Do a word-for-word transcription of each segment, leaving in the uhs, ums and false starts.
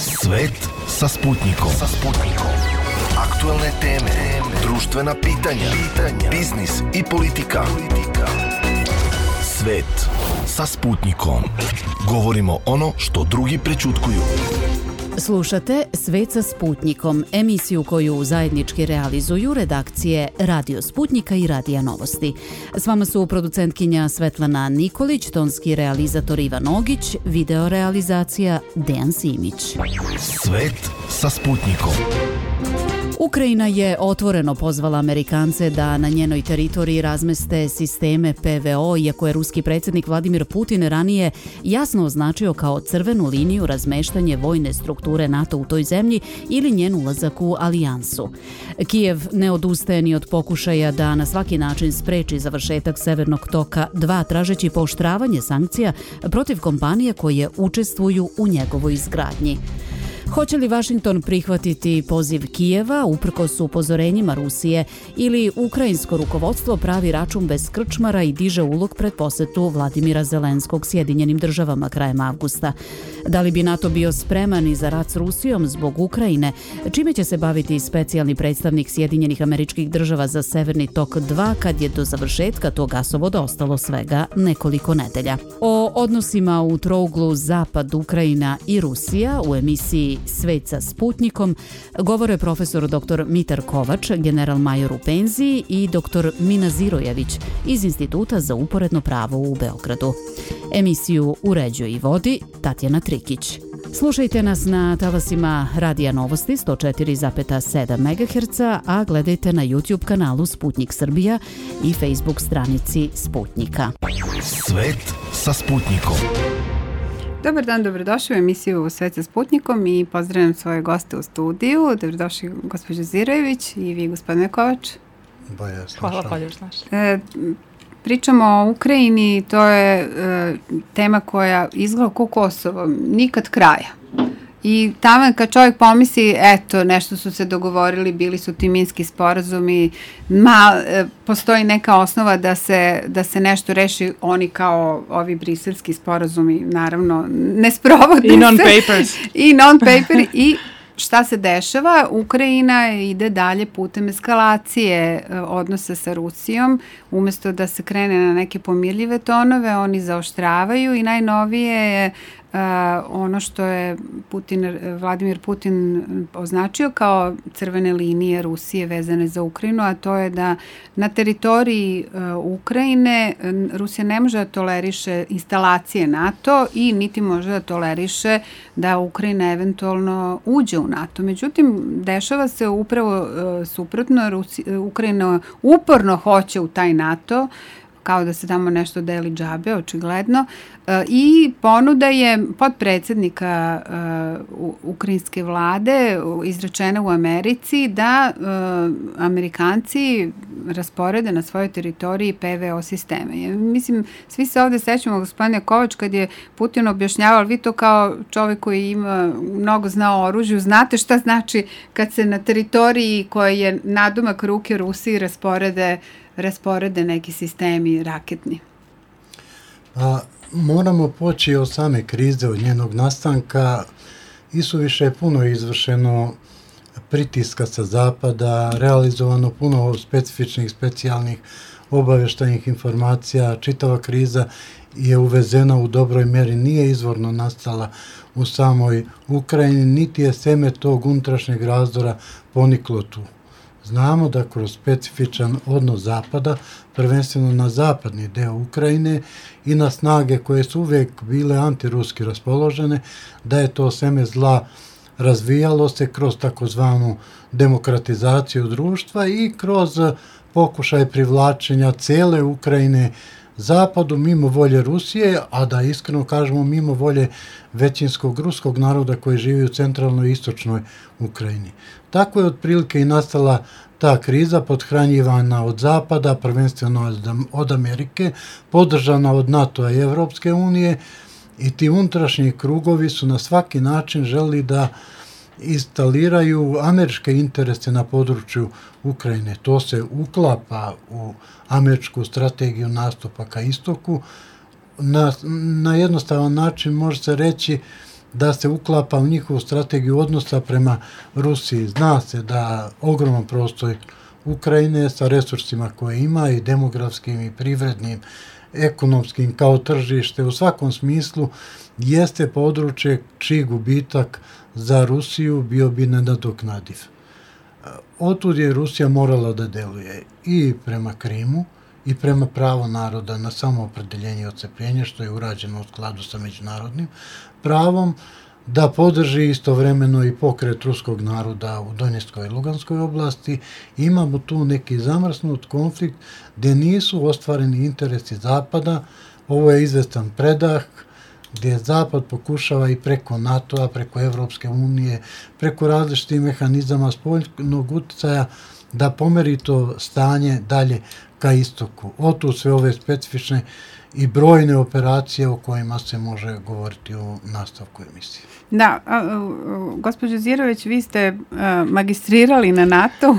Svet sa Sputnikom. Sa Sputnikom. Aktuelne teme, društvena pitanja, pitanja, biznis i politika. politika. Svet sa Sputnikom. Govorimo ono što drugi prećutkuju. Slušate Svet sa Sputnikom, emisiju koju zajednički realizuju redakcije Radio Sputnika i Radija Novosti. S vama su producentkinja Svetlana Nikolić, tonski realizator Ivan Ogić, video realizacija Dejan Simić. Svet sa Sputnikom. Ukrajina je otvoreno pozvala Amerikance da na njenoj teritoriji razmeste sisteme P V O, iako je ruski predsjednik Vladimir Putin ranije jasno označio kao crvenu liniju razmeštanje vojne strukture NATO u toj zemlji ili njen ulazak u alijansu. Kijev ne odustaje ni od pokušaja da na svaki način spreči završetak Severnog toka dva, tražeći pooštravanje sankcija protiv kompanija koje učestvuju u njegovoj izgradnji. Hoće li Vašington prihvatiti poziv Kijeva uprkos upozorenjima Rusije ili ukrajinsko rukovodstvo pravi račun bez krčmara i diže ulog pred posetu Vladimira Zelenskog Sjedinjenim državama krajem avgusta? Da li bi NATO bio spreman i za rat s Rusijom zbog Ukrajine? Čime će se baviti specijalni predstavnik Sjedinjenih Američkih Država za Severni tok dva kad je do završetka tog gasovoda ostalo svega nekoliko nedelja? O odnosima u trouglu Zapad, Ukrajina i Rusija u emisiji Svet sa Sputnikom govore profesor doktor Mitar Kovač, general major u penziji, i doktor Mina Zirojević iz Instituta za uporedno pravo u Beogradu. Emisiju uređuje i vodi Tatjana Trikić. Slušajte nas na talasima Radija Novosti sto četiri zarez sedam megaherca, a gledajte na YouTube kanalu Sputnik Srbija i Facebook stranici Sputnika. Svet sa Sputnikom. Dobar dan, dobrodošli u emisiju Svet sa Sputnikom i pozdravljam svoje goste u studiju. Dobrodošli gospođo Zirojević i vi gospodine Kovač. Bolje Hvala, bolje znaš. E, pričamo o Ukrajini, to je e, tema koja izgleda kao Kosovo, nikad kraja. I tamo kad čovjek pomisli, eto, nešto su se dogovorili, bili su ti minski sporazumi, ma, e, postoji neka osnova da se, da se nešto reši, oni kao ovi briselski sporazumi, naravno, ne sprovode se. I non-papers. I non-paper. I šta se dešava? Ukrajina ide dalje putem eskalacije e, odnosa sa Rusijom. Umesto da se krene na neke pomirljive tonove, oni zaoštravaju i najnovije je Uh, ono što je Putin, Vladimir Putin označio kao crvene linije Rusije vezane za Ukrajinu, a to je da na teritoriji uh, Ukrajine Rusija ne može da toleriše instalacije NATO i niti može da toleriše da Ukrajina eventualno uđe u NATO. Međutim, dešava se upravo uh, suprotno. Rusija, Ukrajina uporno hoće u taj NATO, kao da se tamo nešto deli džabe, očigledno. E, I ponuda je podpredsednika e, ukrajinske vlade izrečena u Americi da e, Amerikanci rasporede na svojoj teritoriji P V O sisteme. Ja, mislim, svi se ovde sećamo, gospodine Kovač, kad je Putin objašnjavao, vi to kao čovjek koji ima mnogo zna o oružju, znate šta znači kad se na teritoriji koja je nadomak ruke Rusiji rasporede rasporede neki sistemi raketni? A, moramo poći od same krize, od njenog nastanka. Isuviše je puno izvršeno pritiska sa zapada, realizovano puno specifičnih, specijalnih obavještajnih informacija. Čitava kriza je uvezena u dobroj mjeri, nije izvorno nastala u samoj Ukrajini, niti je seme tog unutrašnjeg razdora poniklo tu. Znamo da kroz specifičan odnos Zapada, prvenstveno na zapadni deo Ukrajine i na snage koje su uvijek bile antiruski raspoložene, da je to seme zla razvijalo se kroz takozvanu demokratizaciju društva i kroz pokušaj privlačenja cele Ukrajine Zapadu mimo volje Rusije, a da iskreno kažemo mimo volje većinskog ruskog naroda koji živi u centralnoj i istočnoj Ukrajini. Tako je otprilike i nastala ta kriza, podhranjivana od Zapada, prvenstveno od Amerike, podržana od NATO-a i Evropske unije, i ti unutrašnji krugovi su na svaki način želi da instaliraju američke interese na području Ukrajine. To se uklapa u američku strategiju nastupa ka istoku. Na, na jednostavan način može se reći da se uklapa u njihovu strategiju odnosa prema Rusiji. Zna se da ogroman prostor Ukrajine sa resursima koje ima i demografskim i privrednim, ekonomskim kao tržište, u svakom smislu jeste područje čiji gubitak za Rusiju bio bi nenadoknadiv. Otud je Rusija morala da deluje i prema Krimu i prema pravu naroda na samoopredeljenje i odcepljenje, što je urađeno u skladu sa međunarodnim pravom, da podrži istovremeno i pokret ruskog naroda u Donjeckoj i Luganskoj oblasti. Imamo tu neki zamrznut konflikt gdje nisu ostvareni interesi Zapada. Ovo je izvestan predah gdje Zapad pokušava i preko NATO-a, preko Evropske unije, preko različitih mehanizama spoljnog utjecaja da pomeri to stanje dalje ka istoku. Otud sve ove specifične i brojne operacije o kojima se može govoriti u nastavku emisije. Da, a, a, gospođo Zirović, vi ste a, magistrirali na NATO,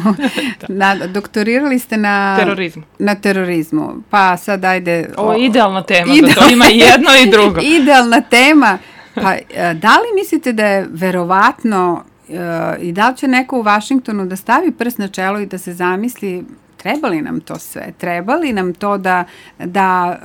na, doktorirali ste na terorizmu. Na terorizmu. Pa sad ajde... Ovo je idealna tema, ideal... da to ima i jedno i drugo. Idealna tema. Pa a, da li mislite da je verovatno a, i da li će neko u Vašingtonu da stavi prst na čelo i da se zamisli treba li nam to sve? Treba li nam to da, da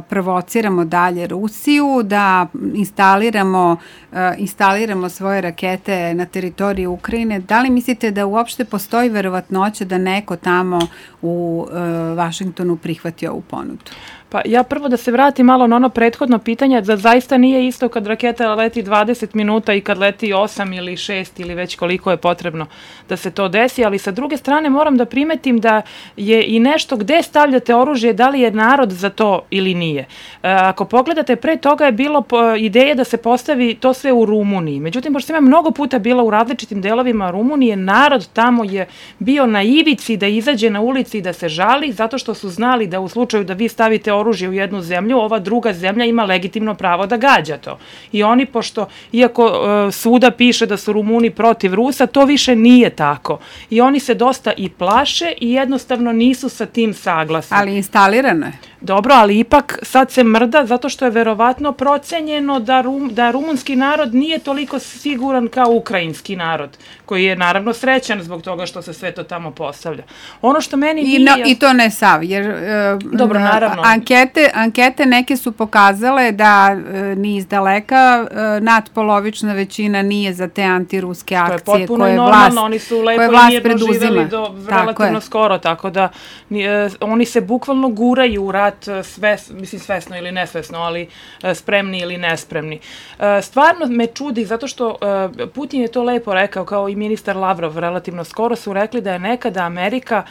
uh, provociramo dalje Rusiju, da instaliramo, uh, instaliramo svoje rakete na teritoriji Ukrajine? Da li mislite da uopšte postoji verovatnoća da neko tamo u uh, Vašingtonu prihvati ovu ponudu? Pa ja prvo da se vratim malo na ono prethodno pitanje, da zaista nije isto kad raketa leti dvadeset minuta i kad leti osam ili šest ili već koliko je potrebno da se to desi, ali sa druge strane moram da primetim da je i nešto gde stavljate oružje, da li je narod za to ili nije. E, ako pogledate, pre toga je bilo po, ideje da se postavi to sve u Rumuniji. Međutim, pošto sam ja mnogo puta bila u različitim delovima Rumunije, narod tamo je bio na ivici da izađe na ulici i da se žali, zato što su znali da u slučaju da vi stavite oružje u jednu zemlju, ova druga zemlja ima legitimno pravo da gađa to. I oni, pošto, iako e, svuda piše da su Rumuni protiv Rusa, to više nije tako. I oni se dosta i plaše i jednostavno nisu sa tim saglasni. Ali instalirano je. Dobro, ali ipak sad se mrda zato što je verovatno procenjeno da, rum, da rumunski narod nije toliko siguran kao ukrajinski narod, koji je naravno srećan zbog toga što se sve to tamo postavlja. Ono što meni I, nije... no, I to ne sav, jer uh, Dobro, naravno. Ankete, ankete neke su pokazale da uh, ni iz daleka uh, nadpolovična većina nije za te antiruske akcije koje je potpuno koje normalno, vlast, oni su lepo i mirno preduzima. živeli do relativno skoro, tako da uh, oni se bukvalno guraju u rat Sves, mislim svesno ili nesvesno, ali spremni ili nespremni. Stvarno me čudi zato što Putin je to lepo rekao, kao i ministar Lavrov relativno skoro su rekli da je nekada Amerika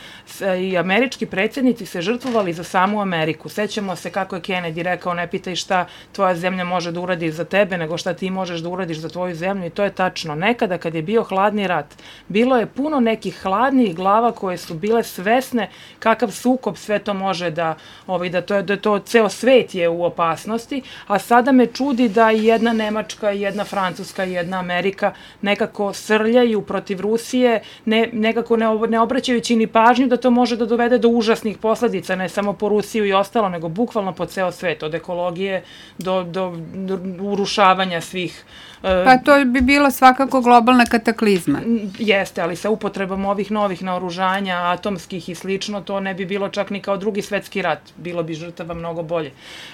i američki predsjednici se žrtvovali za samu Ameriku. Sećamo se kako je Kennedy rekao, ne pitaj šta tvoja zemlja može da uradi za tebe, nego šta ti možeš da uradiš za tvoju zemlju, i to je tačno. Nekada kad je bio hladni rat, bilo je puno nekih hladnih glava koje su bile svesne kakav sukob sve to može da, ovaj, da to je da to ceo svet je u opasnosti, a sada me čudi da i jedna Nemačka, i jedna Francuska, i jedna Amerika nekako srljaju protiv Rusije, ne, nekako ne, ne obraćajući ni pažnju da to može da dovede do užasnih posledica, ne samo po Rusiju i ostalo, nego bukvalno po ceo svet, od ekologije do, do, do urušavanja svih. Pa to bi bila svakako globalna kataklizma. Jeste, ali sa upotrebom ovih novih naoružanja, atomskih i slično, to ne bi bilo čak ni kao drugi svetski rat. Bilo bi žrtava mnogo bolje,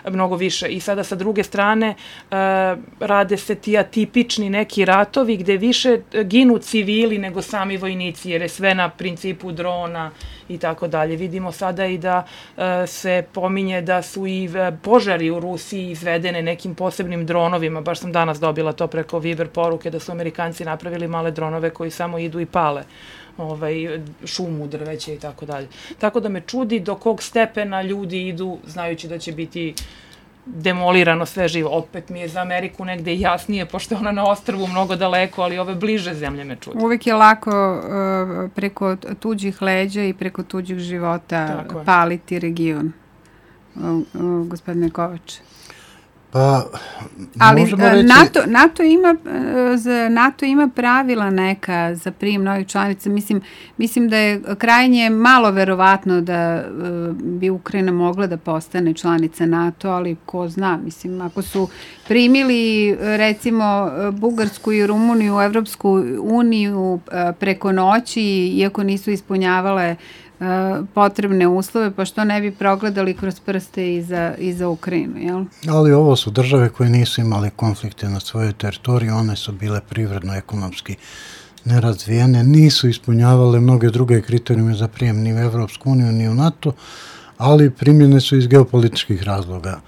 mnogo više. I sada sa druge strane uh, rade se ti atipični neki ratovi gde više ginu civili nego sami vojnici, jer je sve na principu drona i tako dalje. Vidimo sada i da uh, se pominje da su i požari u Rusiji izvedene nekim posebnim dronovima. Baš sam danas dobila to preko Viber poruke da su Amerikanci napravili male dronove koji samo idu i pale ovaj, šumu, drveće i tako dalje. Tako da me čudi do kog stepena ljudi idu znajući da će biti demolirano sve živo. Opet mi je za Ameriku negde jasnije, pošto je ona na ostrvu mnogo daleko, ali ove bliže zemlje me čudi. Uvijek je lako uh, preko tuđih leđa i preko tuđih života paliti region. Uh, uh, gospodine Kovač. Pa, ali reći... NATO, NATO, ima, NATO ima pravila neka za prijem novih članica. Mislim, mislim da je krajnje malo verovatno da bi Ukrajina mogla da postane članica NATO, ali ko zna, mislim, ako su primili recimo Bugarsku i Rumuniju u Evropsku uniju preko noći, iako nisu ispunjavale potrebne uslove, pa što ne bi progledali kroz prste i za, i za Ukrajinu, jel? Ali ovo su države koje nisu imale konflikte na svojoj teritoriji, one su bile privredno, ekonomski nerazvijene, nisu ispunjavale mnoge druge kriterijume za prijem ni u Evropsku uniju, ni u NATO, ali primljene su iz geopolitičkih razloga.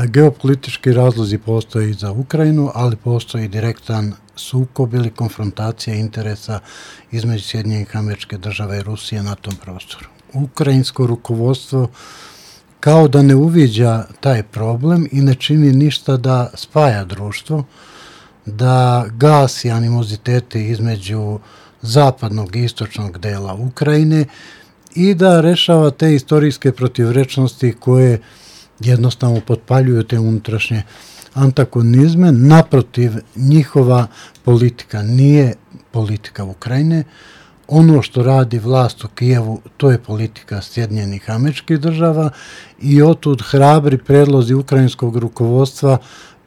Geopolitički razlozi postoje i za Ukrajinu, ali postoji direktan sukob ili konfrontacija interesa između Sjedinjenih Američke Države i Rusije na tom prostoru. Ukrajinsko rukovodstvo kao da ne uviđa taj problem i ne čini ništa da spaja društvo, da gasi animozitete između zapadnog i istočnog dela Ukrajine i da rešava te istorijske protivrečnosti koje jednostavno potpaljuju te unutrašnje antagonizme. Naprotiv, njihova politika nije politika Ukrajine. Ono što radi vlast u Kijevu, to je politika Sjedinjenih Američkih Država i otud hrabri predlozi ukrajinskog rukovodstva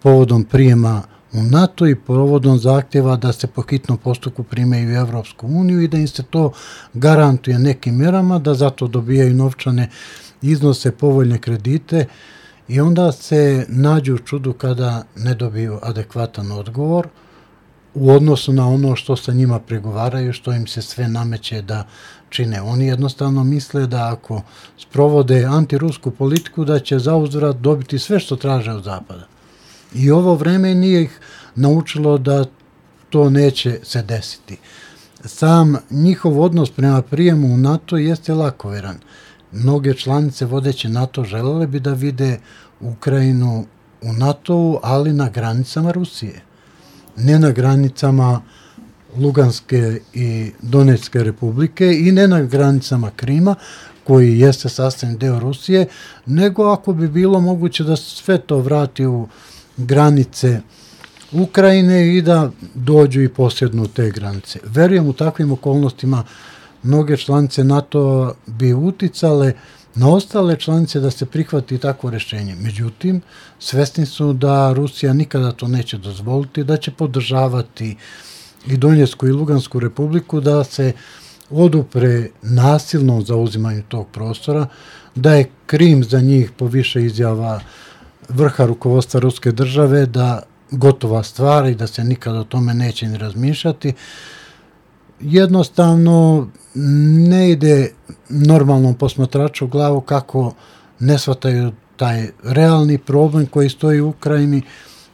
povodom prijema u NATO i povodom zahtjeva da se po hitnom postupku prime u Evropsku uniju i da im se to garantuje nekim mjerama, da zato dobijaju novčane iznose, povoljne kredite i onda se nađu u čudu kada ne dobiju adekvatan odgovor u odnosu na ono što sa njima pregovaraju, što im se sve nameće da čine. Oni jednostavno misle da ako sprovode antirusku politiku da će zauzvrat dobiti sve što traže od Zapada. I ovo vreme nije ih naučilo da to neće se desiti. Sam njihov odnos prema prijemu u NATO jeste lakoveran. Mnoge članice vodeće NATO želele bi da vide Ukrajinu u NATO-u, ali na granicama Rusije. Ne na granicama Luganske i Donetske republike i ne na granicama Krima, koji jeste sastavni deo Rusije, nego ako bi bilo moguće da sve to vrati u granice Ukrajine i da dođu i posjednu te granice. Verujem u takvim okolnostima mnoge članice NATO bi uticale na ostale članice da se prihvati takvo rješenje. Međutim, svesni su da Rusija nikada to neće dozvoliti, da će podržavati i Donjecku i Lugansku republiku, da se odupre nasilnom zauzimanju tog prostora, da je Krim za njih po više izjava vrha rukovodstva Ruske države, da gotova stvar i da se nikada o tome neće ni razmišljati. Jednostavno ne ide normalnom posmatraču u glavu kako ne shvataju taj realni problem koji stoji u Ukrajini,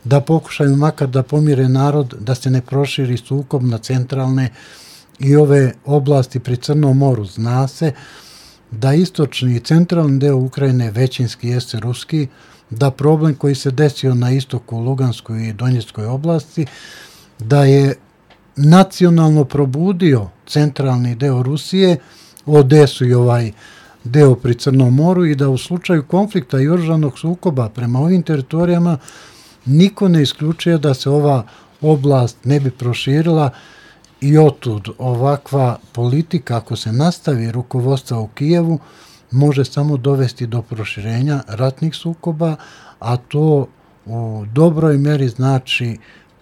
da pokušaju makar da pomire narod, da se ne proširi sukob na centralne i ove oblasti pri Crnom moru. Zna se da istočni i centralni deo Ukrajine većinski jeste ruski, da problem koji se desio na istoku Luganskoj i Donjeckoj oblasti, da je nacionalno probudio centralni deo Rusije, Odesu i ovaj deo pri Crnom moru i da u slučaju konflikta i oružanog sukoba prema ovim teritorijama niko ne isključuje da se ova oblast ne bi proširila i otud ovakva politika, ako se nastavi rukovodstva u Kijevu, može samo dovesti do proširenja ratnih sukoba, a to u dobroj meri znači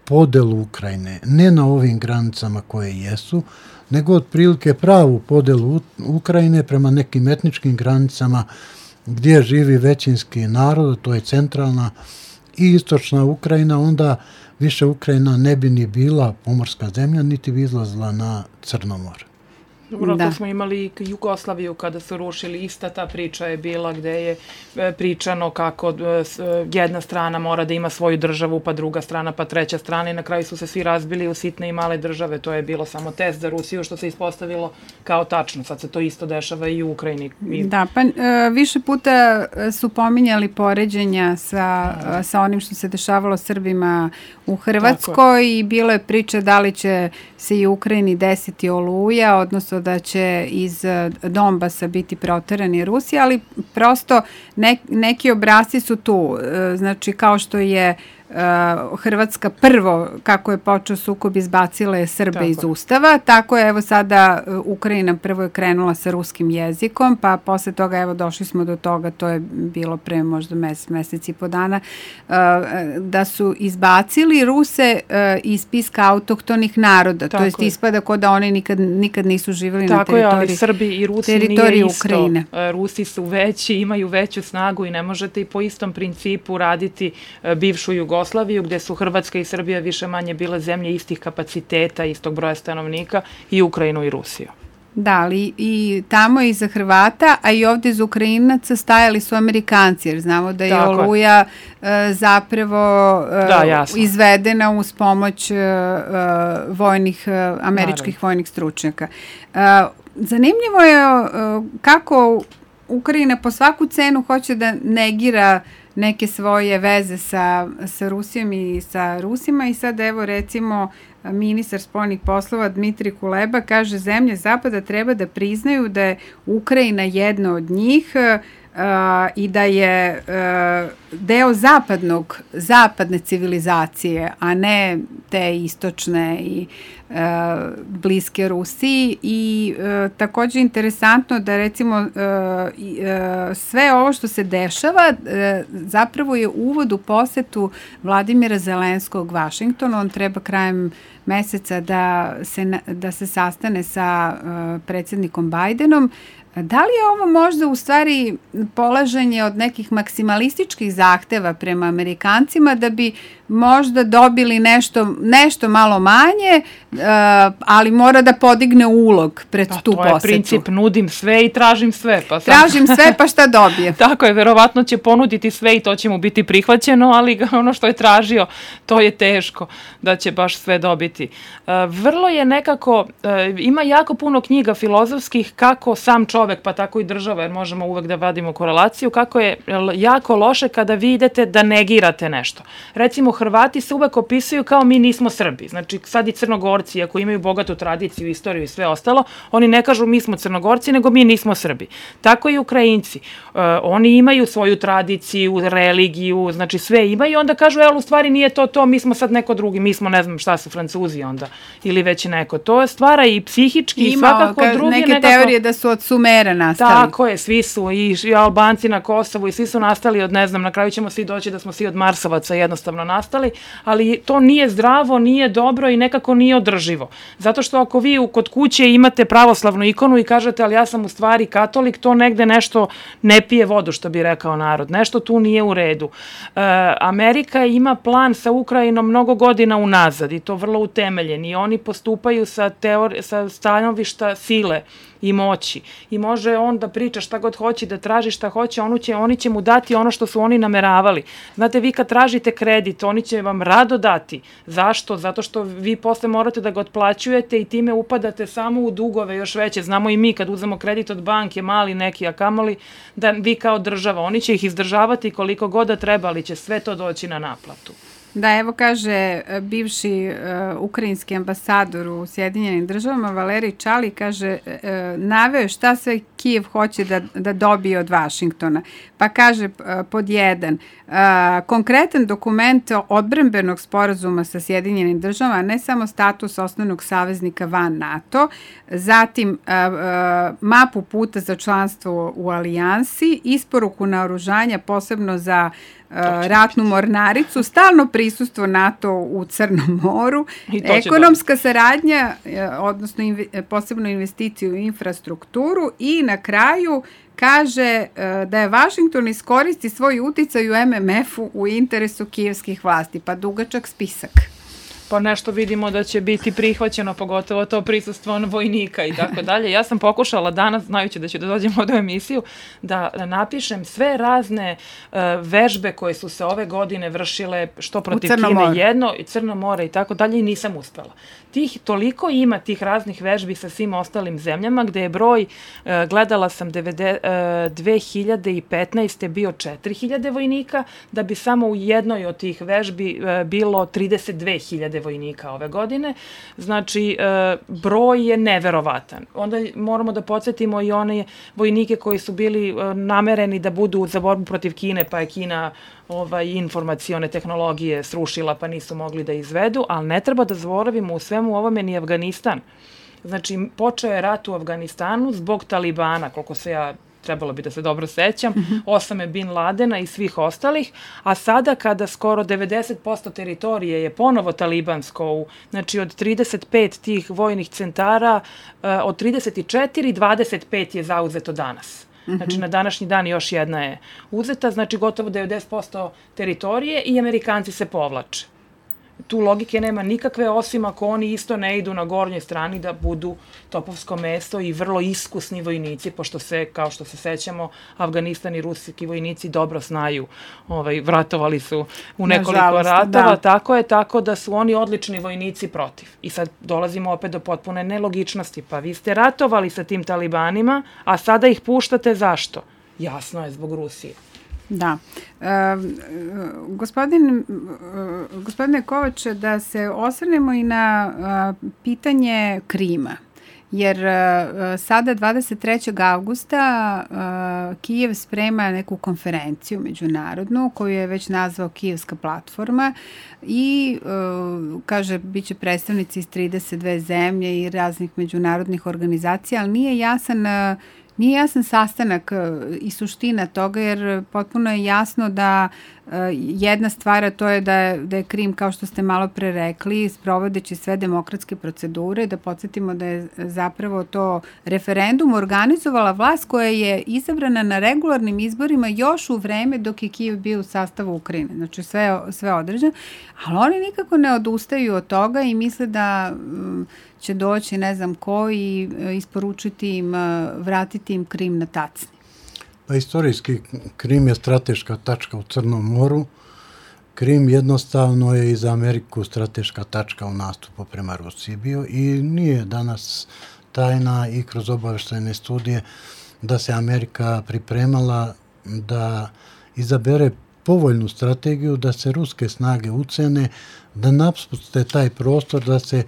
podelu Ukrajine, ne na ovim granicama koje jesu, nego otprilike pravu podelu Ukrajine prema nekim etničkim granicama gdje živi većinski narod, to je centralna i istočna Ukrajina, onda više Ukrajina ne bi ni bila pomorska zemlja, niti bi izlazila na Crno more. Dobro, to smo imali i Jugoslaviju kada su rušili, ista ta priča je bila gde je pričano kako jedna strana mora da ima svoju državu, pa druga strana, pa treća strana i na kraju su se svi razbili u sitne i male države. To je bilo samo test za Rusiju što se ispostavilo kao tačno. Sad se to isto dešava i u Ukrajini. Da, pa više puta su pominjali poređenja sa, sa onim što se dešavalo Srbima u Hrvatskoj i bilo je priče da li će se i u Ukrajini desiti Oluja, odnosno smislu da će iz Donbasa biti proterani Rusi, ali prosto ne, neki obrasci su tu. Znači, kao što je Uh, Hrvatska prvo, kako je počeo sukob, izbacila je Srbe tako iz Ustava, tako je evo sada uh, Ukrajina prvo je krenula sa ruskim jezikom, pa posle toga evo došli smo do toga, to je bilo pre možda mesec, mesec i po dana, uh, da su izbacili Ruse uh, iz spiska autohtonih naroda, tako to jest ispada kao da oni nikad, nikad nisu živjeli tako na teritoriji Ukrajine. Tako je, ali Srbi i Rusi nije isto. Ukrajine. Rusi su veći, imaju veću snagu i ne možete i po istom principu raditi uh, bivšu Jugoslaviju Jugoslaviju, gde su Hrvatska i Srbija više manje bile zemlje istih kapaciteta, istog broja stanovnika, i Ukrajinu i Rusiju. Da, ali i tamo i za Hrvata, a i ovde za Ukrajinaca stajali su Amerikanci, jer znamo da je tako Oluja uh, zapravo uh, da, izvedena uz pomoć uh, uh, vojnih, uh, američkih Naravno. vojnih stručnjaka. Uh, zanimljivo je uh, kako Ukrajina po svaku cenu hoće da negira neke svoje veze sa, sa Rusijom i sa Rusima i sad evo recimo ministar spoljnih poslova Dmitrij Kuleba kaže zemlje Zapada treba da priznaju da je Ukrajina jedna od njih uh, i da je uh, deo zapadnog, zapadne civilizacije, a ne te istočne i uh, bliske Rusiji i uh, takođe interesantno da recimo uh, uh, sve ovo što se dešava uh, zapravo je uvod u posetu Vladimira Zelenskog Vašingtonu. On treba krajem meseca da se, da se sastane sa uh, predsjednikom Bajdenom. Da li je ovo možda u stvari polaženje od nekih maksimalističkih zahteva prema Amerikancima da bi možda dobili nešto, nešto malo manje, uh, ali mora da podigne ulog pred pa, tu posetu? To je princip, nudim sve i tražim sve. Pa sam... Tražim sve pa šta dobije? Tako je, verovatno će ponuditi sve i to će mu biti prihvaćeno, ali ono što je tražio, to je teško da će baš sve dobiti. Uh, vrlo je nekako, uh, ima jako puno knjiga filozofskih kako sam čovek, pa tako i država, jer možemo uvek da vadimo korelaciju, kako je jako loše kada vi idete da negirate nešto. Recimo, Hrvati se uvek opisuju kao mi nismo Srbi. Znači, sad i Crnogorci, ako imaju bogatu tradiciju, istoriju i sve ostalo, oni ne kažu mi smo Crnogorci, nego mi nismo Srbi. Tako i Ukrajinci. Uh, oni imaju svoju tradiciju, religiju, znači sve imaju, onda kažu, evo, u stvari nije to to, mi smo sad neko drugi, mi smo, ne znam šta su, Francuzi onda, ili već neko. To stvara i psihički i svakako drugi nekako... Ima neke teorije da su od Sumera nastali. Tako je, svi su, i, i Albanci na Kosovu, i svi su nastali od, ne znam, na kraju ćemo svi doći da smo svi od Marsovaca jednostavno nastali, ali to nije zdravo, nije dobro i nekako nije održivo. Zato što ako vi kod kuće imate pravoslavnu ikonu i kažete, ali ja sam u stvari katolik, to negde nešto ne pije vodu, što bi rekao narod. Nešto tu nije u redu. E, Amerika ima plan sa Ukrajinom mnogo godina unazad i to vrlo utemeljen i oni postupaju sa, teori, sa stanovišta sile i moći. I može on da priča šta god hoće, da traži šta hoće, oni će, oni će mu dati ono što su oni nameravali. Znate, vi kad tražite kredit, oni će vam rado dati. Zašto? Zato što vi posle morate da ga otplaćujete i time upadate samo u dugove još veće. Znamo i mi kad uzemo kredit od banke, mali neki, a kamoli, da vi kao država, oni će ih izdržavati koliko god da treba, ali će sve to doći na naplatu. Da, evo kaže bivši uh, ukrajinski ambasador u Sjedinjenim državama, Valerij Čali, kaže, uh, naveo šta sve Kijev hoće da, da dobije od Vašingtona. Pa kaže uh, pod jedan, uh, konkretan dokument odbrambenog sporazuma sa Sjedinjenim državama, ne samo status osnovnog saveznika van NATO, zatim uh, uh, mapu puta za članstvo u alijansi, isporuku naoružanja posebno za ratnu mornaricu, stalno prisustvo NATO u Crnom moru, ekonomska saradnja, odnosno inve, posebno investiciju u infrastrukturu i na kraju kaže da je Vašington iskoristi svoj uticaj u em em efu u interesu kijevskih vlasti, pa dugačak spisak. Pa nešto vidimo da će biti prihvaćeno, pogotovo to prisustvo vojnika i tako dalje. Ja sam pokušala danas, znajući da ću da dođem u ovu emisiju, da napišem sve razne uh, vežbe koje su se ove godine vršile, što protiv Kine jedno, i Crno more i tako dalje, i nisam uspela. Tih, toliko ima tih raznih vežbi sa svim ostalim zemljama, gde je broj, uh, gledala sam dve hiljade petnaeste. bio četiri hiljade vojnika, da bi samo u jednoj od tih vežbi uh, bilo trideset dve hiljade hiljade vojnika ove godine. Znači, broj je neverovatan. Onda moramo da podsjetimo i one vojnike koji su bili namereni da budu za borbu protiv Kine, pa je Kina ovaj, informacione tehnologije srušila, pa nisu mogli da izvedu, ali ne treba da zaboravimo u svemu ovome ni Afganistan. Znači, počeo je rat u Afganistanu zbog Talibana, koliko se ja trebalo bi da se dobro sećam, Osame Bin Ladena i svih ostalih, a sada kada skoro devedeset posto teritorije je ponovo talibansko, znači od trideset pet tih vojnih centara, od trideset četiri, dvadeset pet je zauzeto danas. Znači, na današnji dan još jedna je uzeta, znači gotovo devedeset posto teritorije i Amerikanci se povlače. Tu logike nema nikakve, osim ako oni isto ne idu na gornjoj strani da budu topovsko mesto i vrlo iskusni vojnici, pošto se, kao što se sećamo, Afganistan i ruski vojnici dobro znaju, ovaj, vratovali su u nekoliko Nažalost, ratova, da. Tako je, tako da su oni odlični vojnici protiv. I sad dolazimo opet do potpune nelogičnosti, pa vi ste ratovali sa tim talibanima, a sada ih puštate zašto? Jasno je, zbog Rusije. Da. E, gospodin, gospodine Kovače, da se osvrnemo i na a, pitanje Krima. Jer a, sada dvadeset trećeg avgusta a, Kijev sprema neku konferenciju međunarodnu koju je već nazvao Kijevska platforma i a, kaže bit će predstavnici iz trideset dve zemlje i raznih međunarodnih organizacija, ali nije jasan a, Nije jasan sastanak i suština toga, jer potpuno je jasno da jedna stvar, a to je da je, da je Krim, kao što ste malo pre rekli, sprovodeći sve demokratske procedure, da podsjetimo da je zapravo to referendum organizovala vlast koja je izabrana na regularnim izborima još u vreme dok je Kijev bio u sastavu Ukrajine. Znači sve, sve određeno, ali oni nikako ne odustaju od toga i misle da će doći ne znam ko i isporučiti im, vratiti im Krim na tacni. Pa istorijski Krim je strateška tačka u Crnom moru. Krim jednostavno je i za Ameriku strateška tačka u nastupu prema Rusiji bio i nije danas tajna i kroz obavještajne studije da se Amerika pripremala da izabere povoljnu strategiju, da se ruske snage ucene, da napuste taj prostor, da se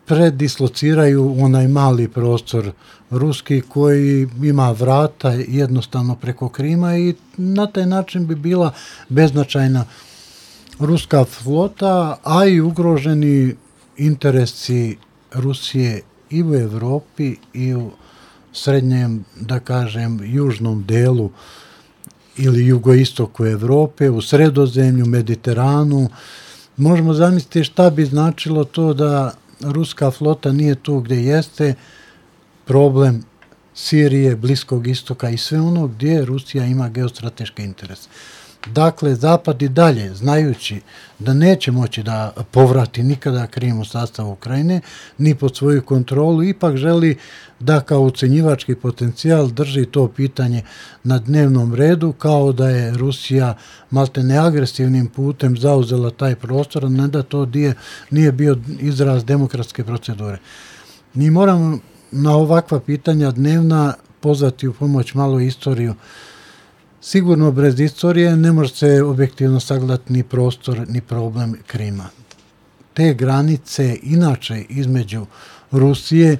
predislociraju onaj mali prostor ruski koji ima vrata jednostavno preko Krima i na taj način bi bila beznačajna ruska flota, a i ugroženi interesi Rusije i u Evropi i u srednjem, da kažem, južnom delu ili jugoistoku Evrope, u Sredozemlju, Mediteranu. Možemo zamisliti šta bi značilo to da ruska flota nije tu gdje jeste, problem Sirije, Bliskog istoka i sve ono gdje Rusija ima geostrateške interese. Dakle, Zapad i dalje, znajući da neće moći da povrati nikada Krim u sastav Ukrajine, ni pod svoju kontrolu, ipak želi da kao ucenjivački potencijal drži to pitanje na dnevnom redu, kao da je Rusija maltene agresivnim putem zauzela taj prostor, a ne da to nije, nije bio izraz demokratske procedure. Mi moramo na ovakva pitanja dnevna pozvati u pomoć malo istoriju. Sigurno bez istorije ne može se objektivno sagledati ni prostor, ni problem Krima. Te granice inače između Rusije,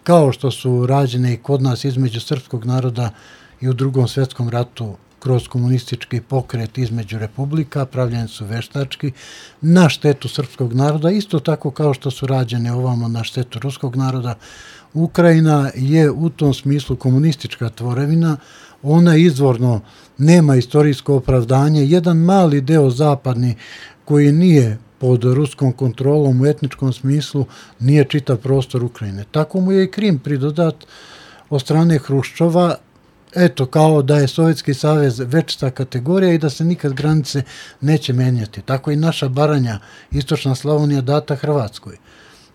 kao što su rađene i kod nas između srpskog naroda i u Drugom svjetskom ratu kroz komunistički pokret između republika, pravljeni su veštački na štetu srpskog naroda, isto tako kao što su rađene ovamo na štetu ruskog naroda. Ukrajina je u tom smislu komunistička tvorevina, ona izvorno nema istorijsko opravdanje. Jedan mali deo zapadni koji nije pod ruskom kontrolom u etničkom smislu nije čitav prostor Ukrajine. Tako mu je i Krim pridodat od strane Hruščova, eto, kao da je Sovjetski savez večita kategorija i da se nikad granice neće menjati. Tako i naša Baranja, istočna Slavonija data Hrvatskoj.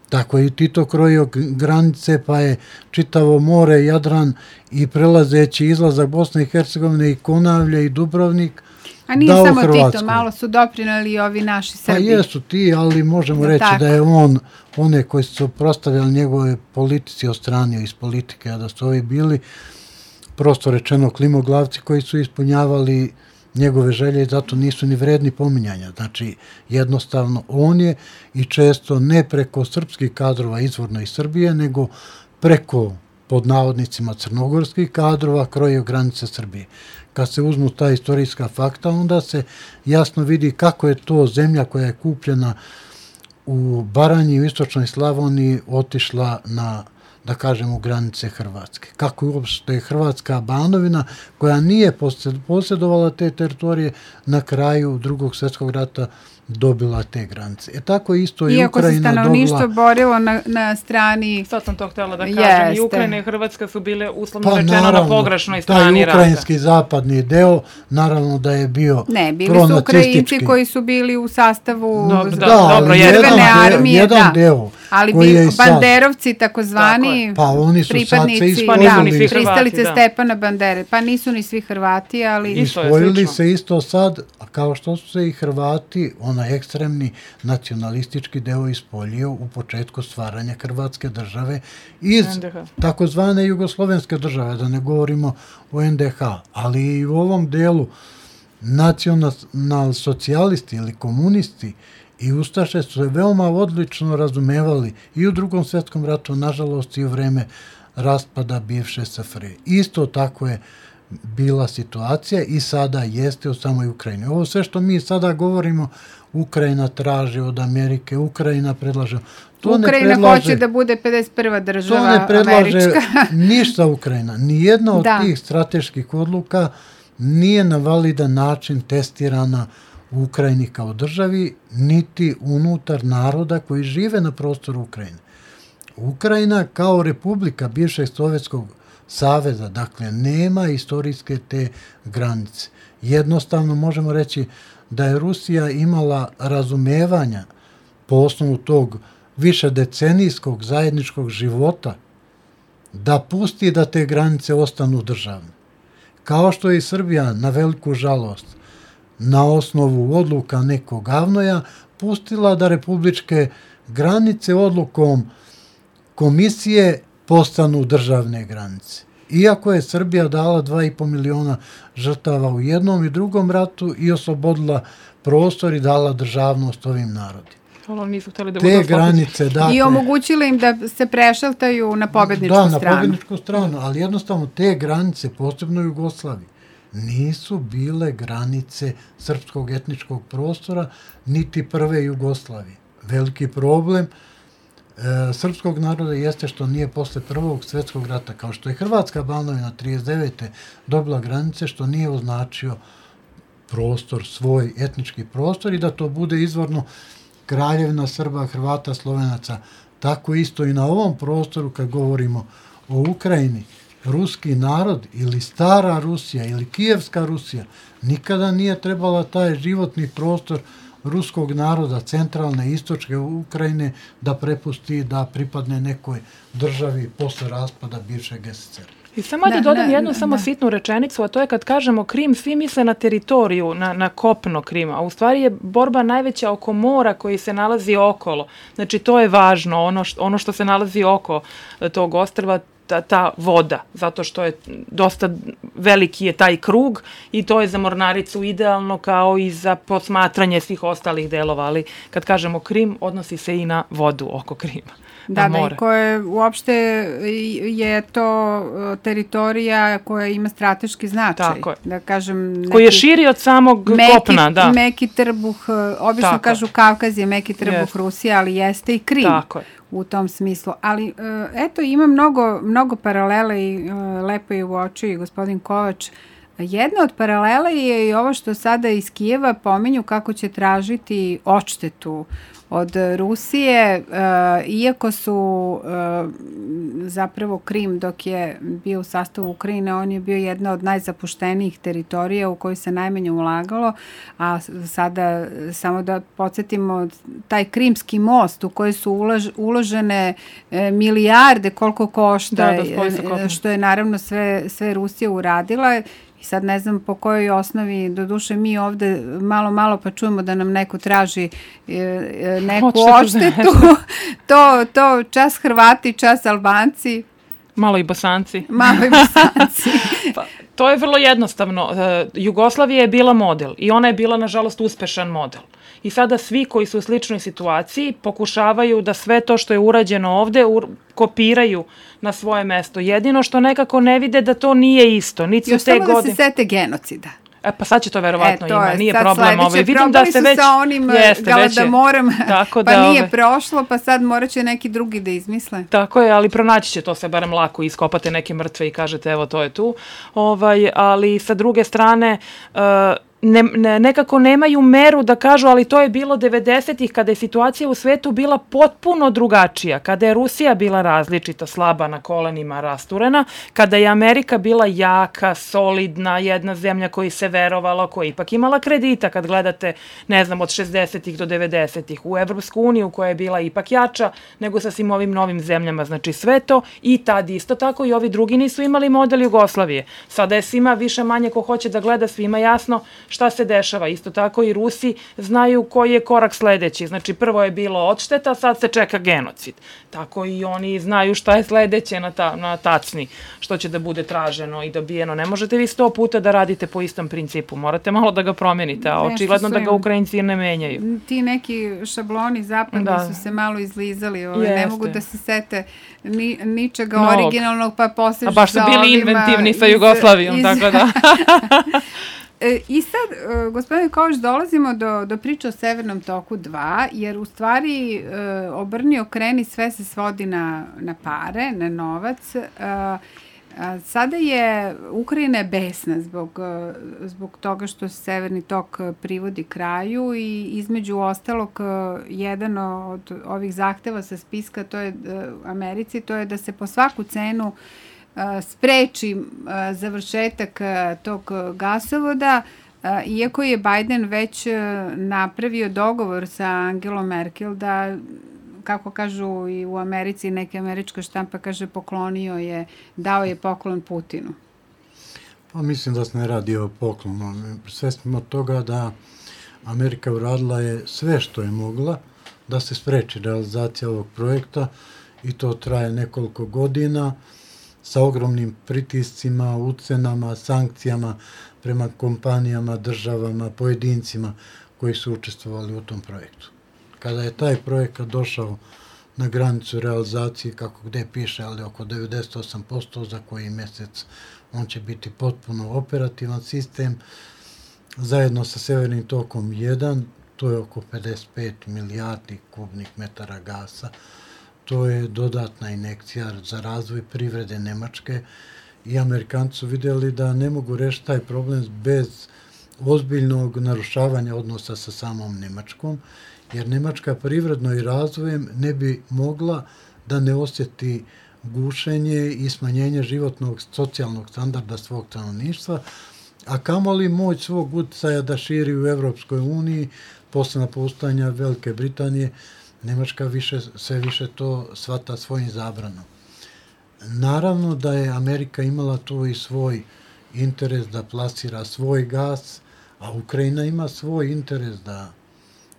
Tako je i Tito krojio granice, pa je čitavo more, Jadran i prelazeći izlazak Bosne i Hercegovine i Konavlje i Dubrovnik. A nije samo Hrvatskoj. Tito, malo su doprinali i ovi naši Srbi. Pa jesu ti, ali možemo da reći tako. Da je on, one koji su prostavljali njegove politici, odstranio iz politike, a da su ovi bili, prosto rečeno, klimoglavci koji su ispunjavali njegove želje i zato nisu ni vredni pominjanja. Znači, jednostavno on je i često ne preko srpskih kadrova izvorno iz Srbije, nego preko pod navodnicima crnogorskih kadrova krojio granice Srbije. Kad se uzmu ta istorijska fakta, onda se jasno vidi kako je to zemlja koja je kupljena u Baranji i u istočnoj Slavoniji otišla na, da kažemo, granice Hrvatske. Kako je uopšte Hrvatska Banovina, koja nije posjedovala te teritorije, na kraju Drugog svjetskog rata dobila te granice. E tako isto i Ukrajina dobila... Iako se stanovništvo borilo na, na strani... Sad sam to htjela da kažem. Jeste. I Ukrajina i Hrvatska su bile uslovno pa, rečeno naravno, na pogrešnoj strani rata. Taj ukrajinski zapadni deo, naravno da je bio Ne, bili su Ukrajinci koji su bili u sastavu dobro, da, da, dobro, Crvene armije. Jedan da. deo. Ali koji bi, je banderovci, takozvani pa oni su pripadnici sad da, se pristalice da. Stepana Bandere. Pa nisu ni svi Hrvati, ali... Ispojili se isto sad, kao što su se i Hrvati, onaj ekstremni nacionalistički deo ispoljio u početku stvaranja Hrvatske države iz takozvane jugoslovenske države, da ne govorimo o en de ha, ali i u ovom delu nacional socijalisti ili komunisti i ustaše su se veoma odlično razumevali i u Drugom svjetskom ratu, nažalost i u vreme raspada bivše es ef er er. Isto tako je bila situacija i sada jeste u samoj Ukrajini. Ovo sve što mi sada govorimo, Ukrajina traži od Amerike, Ukrajina predlaže... To Ukrajina ne predlaže, hoće da bude pedeset prva država američka. To ne predlaže američka. Ništa Ukrajina. Nijedna od da. tih strateških odluka nije na validan način testirana u Ukrajini kao državi, niti unutar naroda koji žive na prostoru Ukrajine. Ukrajina kao republika bivšeg Sovjetskog saveza, dakle, nema istorijske te granice. Jednostavno možemo reći da je Rusija imala razumevanja po osnovu tog višedecenijskog zajedničkog života da pusti da te granice ostanu državne. Kao što je i Srbija, na veliku žalost, na osnovu odluka nekog Avnoja, pustila da republičke granice odlukom komisije postanu državne granice. Iako je Srbija dala dva i po miliona žrtava u jednom i drugom ratu i oslobodila prostor i dala državnost ovim narodima. Nisu htjeli da te granice, dakle, i omogućili im da se prešaltaju na pobjedničku da, stranu. Da, na pobjedničku stranu, ali jednostavno te granice, posebno u Jugoslaviji, nisu bile granice srpskog etničkog prostora, niti prve Jugoslavije. Veliki problem e, srpskog naroda jeste što nije posle Prvog svjetskog rata, kao što je Hrvatska Banovina trideset devete dobila granice, što nije označio prostor, svoj etnički prostor i da to bude izvorno Kraljevina Srba, Hrvata, Slovenaca. Tako isto i na ovom prostoru kad govorimo o Ukrajini, ruski narod ili stara Rusija ili kijevska Rusija nikada nije trebala taj životni prostor ruskog naroda, centralne, istočke Ukrajine, da prepusti, da pripadne nekoj državi posle raspada bivšeg es es er a. I samo da dodam jednu samo da. sitnu rečenicu, a to je kad kažemo Krim, svi misle na teritoriju, na, na kopno Krima, a u stvari je borba najveća oko mora koji se nalazi okolo. Znači to je važno, ono što, ono što se nalazi oko tog ostrva, ta, ta voda, zato što je dosta veliki je taj krug i to je za mornaricu idealno kao i za posmatranje svih ostalih delova, ali kad kažemo Krim, odnosi se i na vodu oko Krima. Da, da, i koje uopšte je to teritorija koja ima strateški značaj. Tako je. Da kažem, neki, koji je širi od samog meki, kopna, da. Meki trbuh, obično Tako kažu Kavkaz je meki trbuh yes. Rusije, ali jeste i Krim. Tako je. U tom smislu. Ali, eto, ima mnogo, mnogo paralela i lepo je uočio i gospodin Kovač. Jedna od paralela je i ovo što sada iz Kijeva pominju kako će tražiti odštetu od Rusije, uh, iako su uh, zapravo Krim dok je bio u sastavu Ukrajine, on je bio jedna od najzapuštenijih teritorija u kojoj se najmanje ulagalo, a sada samo da podsjetimo taj Krimski most u koji su ulož, uložene e, milijarde koliko košta, da, da, što je naravno sve, sve Rusija uradila. I sad ne znam po kojoj osnovi, doduše mi ovde malo, malo pa čujemo da nam neko traži e, neku odštetu. to, to čas Hrvati, čas Albanci. Malo i Bosanci. Malo i Bosanci. Pa, to je vrlo jednostavno. Jugoslavija je bila model i ona je bila, nažalost, uspešan model. I sada svi koji su u sličnoj situaciji pokušavaju da sve to što je urađeno ovde kopiraju na svoje mesto. Jedino što nekako ne vide da to nije isto. Niti još samo godine... da se sete genocida. E, pa sad će to verovatno e, to ima, je, nije problem ovo. Vidim da se već... sa onim Galamorom, pa da, nije ove... prošlo, pa sad morat će neki drugi da izmisle. Tako je, ali pronaći će to se barem lako, iskopate neke mrtve i kažete evo to je tu. Ovaj, ali sa druge strane... Uh, Ne, ne, nekako nemaju meru da kažu, ali to je bilo devedesetih kada je situacija u svetu bila potpuno drugačija, kada je Rusija bila različita, slaba na kolenima, rasturena, kada je Amerika bila jaka, solidna, jedna zemlja koji se verovala, koja je ipak imala kredita, kad gledate, ne znam, od šezdesetih do devedesetih, u Evropsku uniju koja je bila ipak jača nego sa svim ovim novim zemljama, znači sve to i tad isto tako i ovi drugi nisu imali model Jugoslavije. Sada je svima više manje ko hoće da gleda, svima jasno šta se dešava. Isto tako i Rusi znaju koji je korak sledeći. Znači prvo je bilo odšteta, sad se čeka genocid. Tako i oni znaju šta je sledeće na, ta, na tacni, što će da bude traženo i dobijeno. Ne možete vi sto puta da radite po istom principu. Morate malo da ga promenite, a očigledno da ga Ukrajinci ne menjaju. Ti neki šabloni zapadni da. su se malo izlizali. Ove, ne mogu da se sete ni, ničega Nog. originalnog, pa posežu sa ovima. A baš su bili inventivni sa Jugoslavijom, iz, tako da... I sad, gospodine Kovač, dolazimo do, do priče o Severnom toku dva, jer u stvari obrni okreni sve se svodi na, na pare, na novac. Sada je Ukrajina besna zbog, zbog toga što se Severni tok privodi kraju i između ostalog jedan od ovih zahteva sa spiska, to je Americi, to je da se po svaku cenu spreči završetak tog gasovoda, iako je Biden već napravio dogovor sa Angelom Merkel da, kako kažu i u Americi, neka američka štampa kaže poklonio je, dao je poklon Putinu. Pa mislim da se ne radi o poklonu. Sve smo od toga da Amerika uradila je sve što je mogla da se spreči realizacija ovog projekta i to traje nekoliko godina sa ogromnim pritiscima, ucenama, sankcijama prema kompanijama, državama, pojedincima koji su učestvovali u tom projektu. Kada je taj projekat došao na granicu realizacije, kako gde piše, ali oko devedeset osam posto za koji mesec on će biti potpuno operativan sistem, zajedno sa Severnim tokom jedan, to je oko pedeset pet milijardi kubnih metara gasa. To je dodatna injekcija za razvoj privrede Nemačke i Amerikanci su vidjeli da ne mogu rešiti taj problem bez ozbiljnog narušavanja odnosa sa samom Nemačkom, jer Nemačka privredno i razvojem ne bi mogla da ne osjeti gušenje i smanjenje životnog socijalnog standarda svog stanovništva, a kamoli moć svog uticaja da širi u Evropskoj uniji posle napuštanja Velike Britanije. Nemačka više, sve više to shvata svojim zabranom. Naravno da je Amerika imala tu i svoj interes da plasira svoj gas, a Ukrajina ima svoj interes da,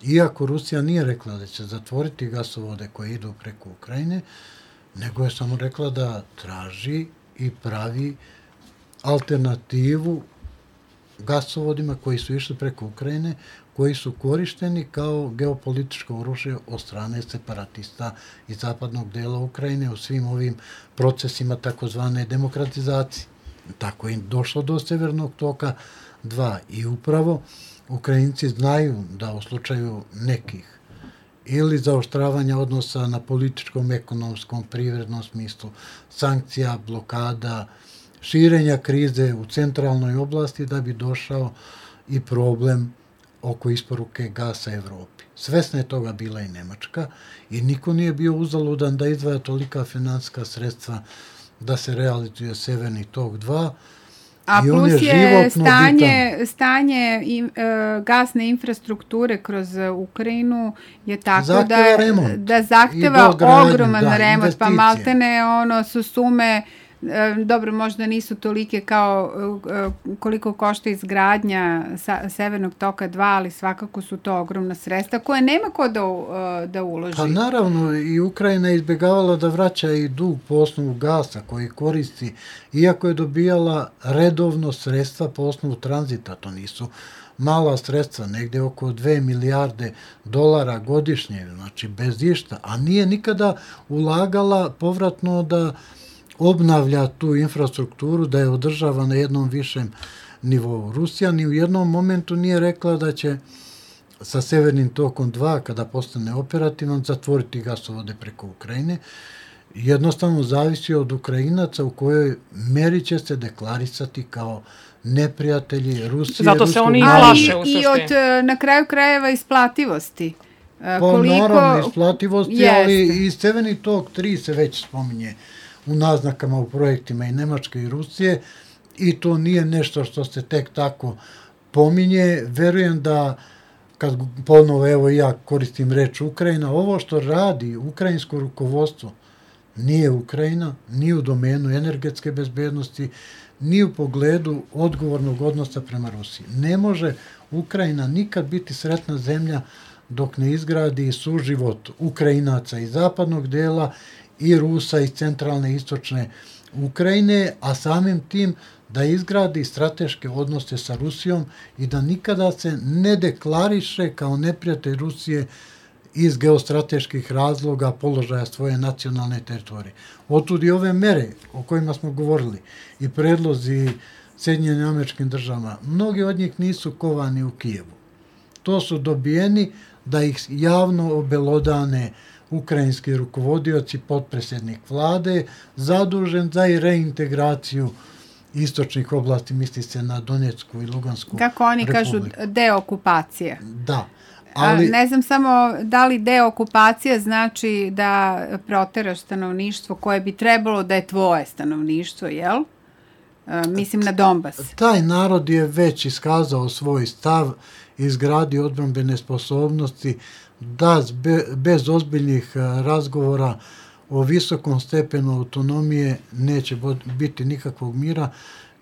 iako Rusija nije rekla da će zatvoriti gasovode koje idu preko Ukrajine, nego je samo rekla da traži i pravi alternativu gasovodima koji su išli preko Ukrajine, koji su korišteni kao geopolitičko oružje od strane separatista iz zapadnog dela Ukrajine u svim ovim procesima takozvane demokratizacije. Tako je došlo do Severnog toka dva i upravo Ukrajinci znaju da u slučaju nekih ili zaoštravanja odnosa na političkom, ekonomskom, privrednom smislu, sankcija, blokada, širenja krize u centralnoj oblasti da bi došao i problem oko isporuke gasa Evropi. Svesna je toga bila i Nemačka i niko nije bio uzaludan da izdvaja tolika finansijska sredstva da se realizuje Severni tok dva. A I plus je, je stanje, stanje in, e, gasne infrastrukture kroz Ukrajinu je tako zahteva da, remont. da zahteva ogroman da, remont, pa maltene ono su sume dobro, možda nisu tolike kao koliko košta izgradnja Severnog toka dva, ali svakako su to ogromna sredstva koje nema ko da, da uloži. Pa naravno, i Ukrajina je izbjegavala da vraća i dug po osnovu gasa koji koristi, iako je dobijala redovno sredstva po osnovu tranzita, to nisu mala sredstva, negde oko dve milijarde dolara godišnje, znači bez išta, a nije nikada ulagala povratno da obnavlja tu infrastrukturu, da je održava na jednom višem nivou. Rusija ni u jednom momentu nije rekla da će sa Severnim tokom dva, kada postane operativan, zatvoriti gasovode preko Ukrajine. Jednostavno zavisi od Ukrajinaca u kojoj meri će se deklarisati kao neprijatelji Rusije. Zato se oni i plaše u suštini. I od, na kraju krajeva, isplativosti. Pa koliko... naravno isplativosti, jeste. Ali i Severni tok tri se već spominje u naznakama u projektima i Nemačke i Rusije i to nije nešto što se tek tako pominje. Verujem da, kad ponovo evo ja koristim reč Ukrajina, ovo što radi ukrajinsko rukovodstvo nije Ukrajina, ni u domenu energetske bezbednosti, ni u pogledu odgovornog odnosa prema Rusiji. Ne može Ukrajina nikad biti sretna zemlja dok ne izgradi suživot Ukrajinaca iz zapadnog dela i Rusa iz centralne i istočne Ukrajine, a samim tim da izgradi strateške odnose sa Rusijom i da nikada se ne deklariše kao neprijatelj Rusije iz geostrateških razloga položaja svoje nacionalne teritorije. Otud i ove mere o kojima smo govorili i predlozi Sjedinjenim Američkim Državama, mnogi od njih nisu kovani u Kijevu. To su dobijeni da ih javno obelodane ukrajinski rukovodioci, potpredsjednik vlade, zadužen za i reintegraciju istočnih oblasti, misli se na Donjecku i Lugansku republiku. Kako oni kažu, deokupacija. Da. Ali, ne znam samo da li deokupacija znači da proteraš stanovništvo koje bi trebalo da je tvoje stanovništvo, jel? E, mislim na Donbas. Taj narod je već iskazao svoj stav, izgradio odbrambene sposobnosti, da bez ozbiljnih razgovora o visokom stepenu autonomije neće biti nikakvog mira.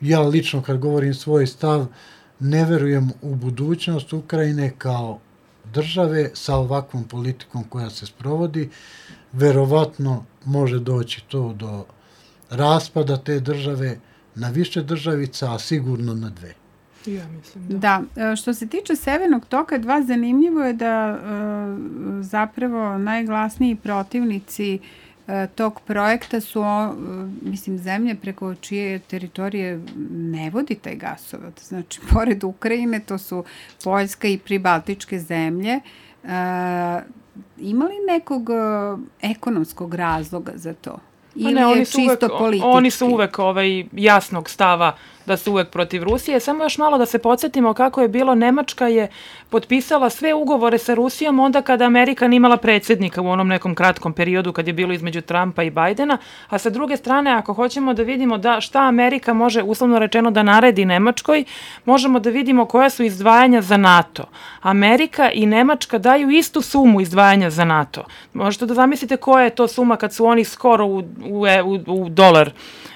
Ja lično, kad govorim svoj stav, ne verujem u budućnost Ukrajine kao države sa ovakvom politikom koja se sprovodi. Verovatno može doći to do raspada te države na više državica, a sigurno na dve. Ja mislim, da. Da, što se tiče Severnog toka dva, zanimljivo je da zapravo najglasniji protivnici tog projekta su, mislim, zemlje preko čije teritorije ne vodi taj gasovod. Znači, pored Ukrajine, to su Poljska i pribaltičke zemlje. Ima li nekog ekonomskog razloga za to? Ili ne, oni je su čisto uvek, politički? Oni su uvek ovaj, jasnog stava da su uvek protiv Rusije. Samo još malo da se podsjetimo kako je bilo. Nemačka je potpisala sve ugovore sa Rusijom onda kada Amerika nimala predsjednika u onom nekom kratkom periodu kad je bilo između Trumpa i Bajdena, a sa druge strane, ako hoćemo da vidimo da šta Amerika može, uslovno rečeno, da naredi Nemačkoj, možemo da vidimo koja su izdvajanja za NATO. Amerika i Nemačka daju istu sumu izdvajanja za NATO. Možete da zamislite koja je to suma kad su oni skoro u, u, u, u dolar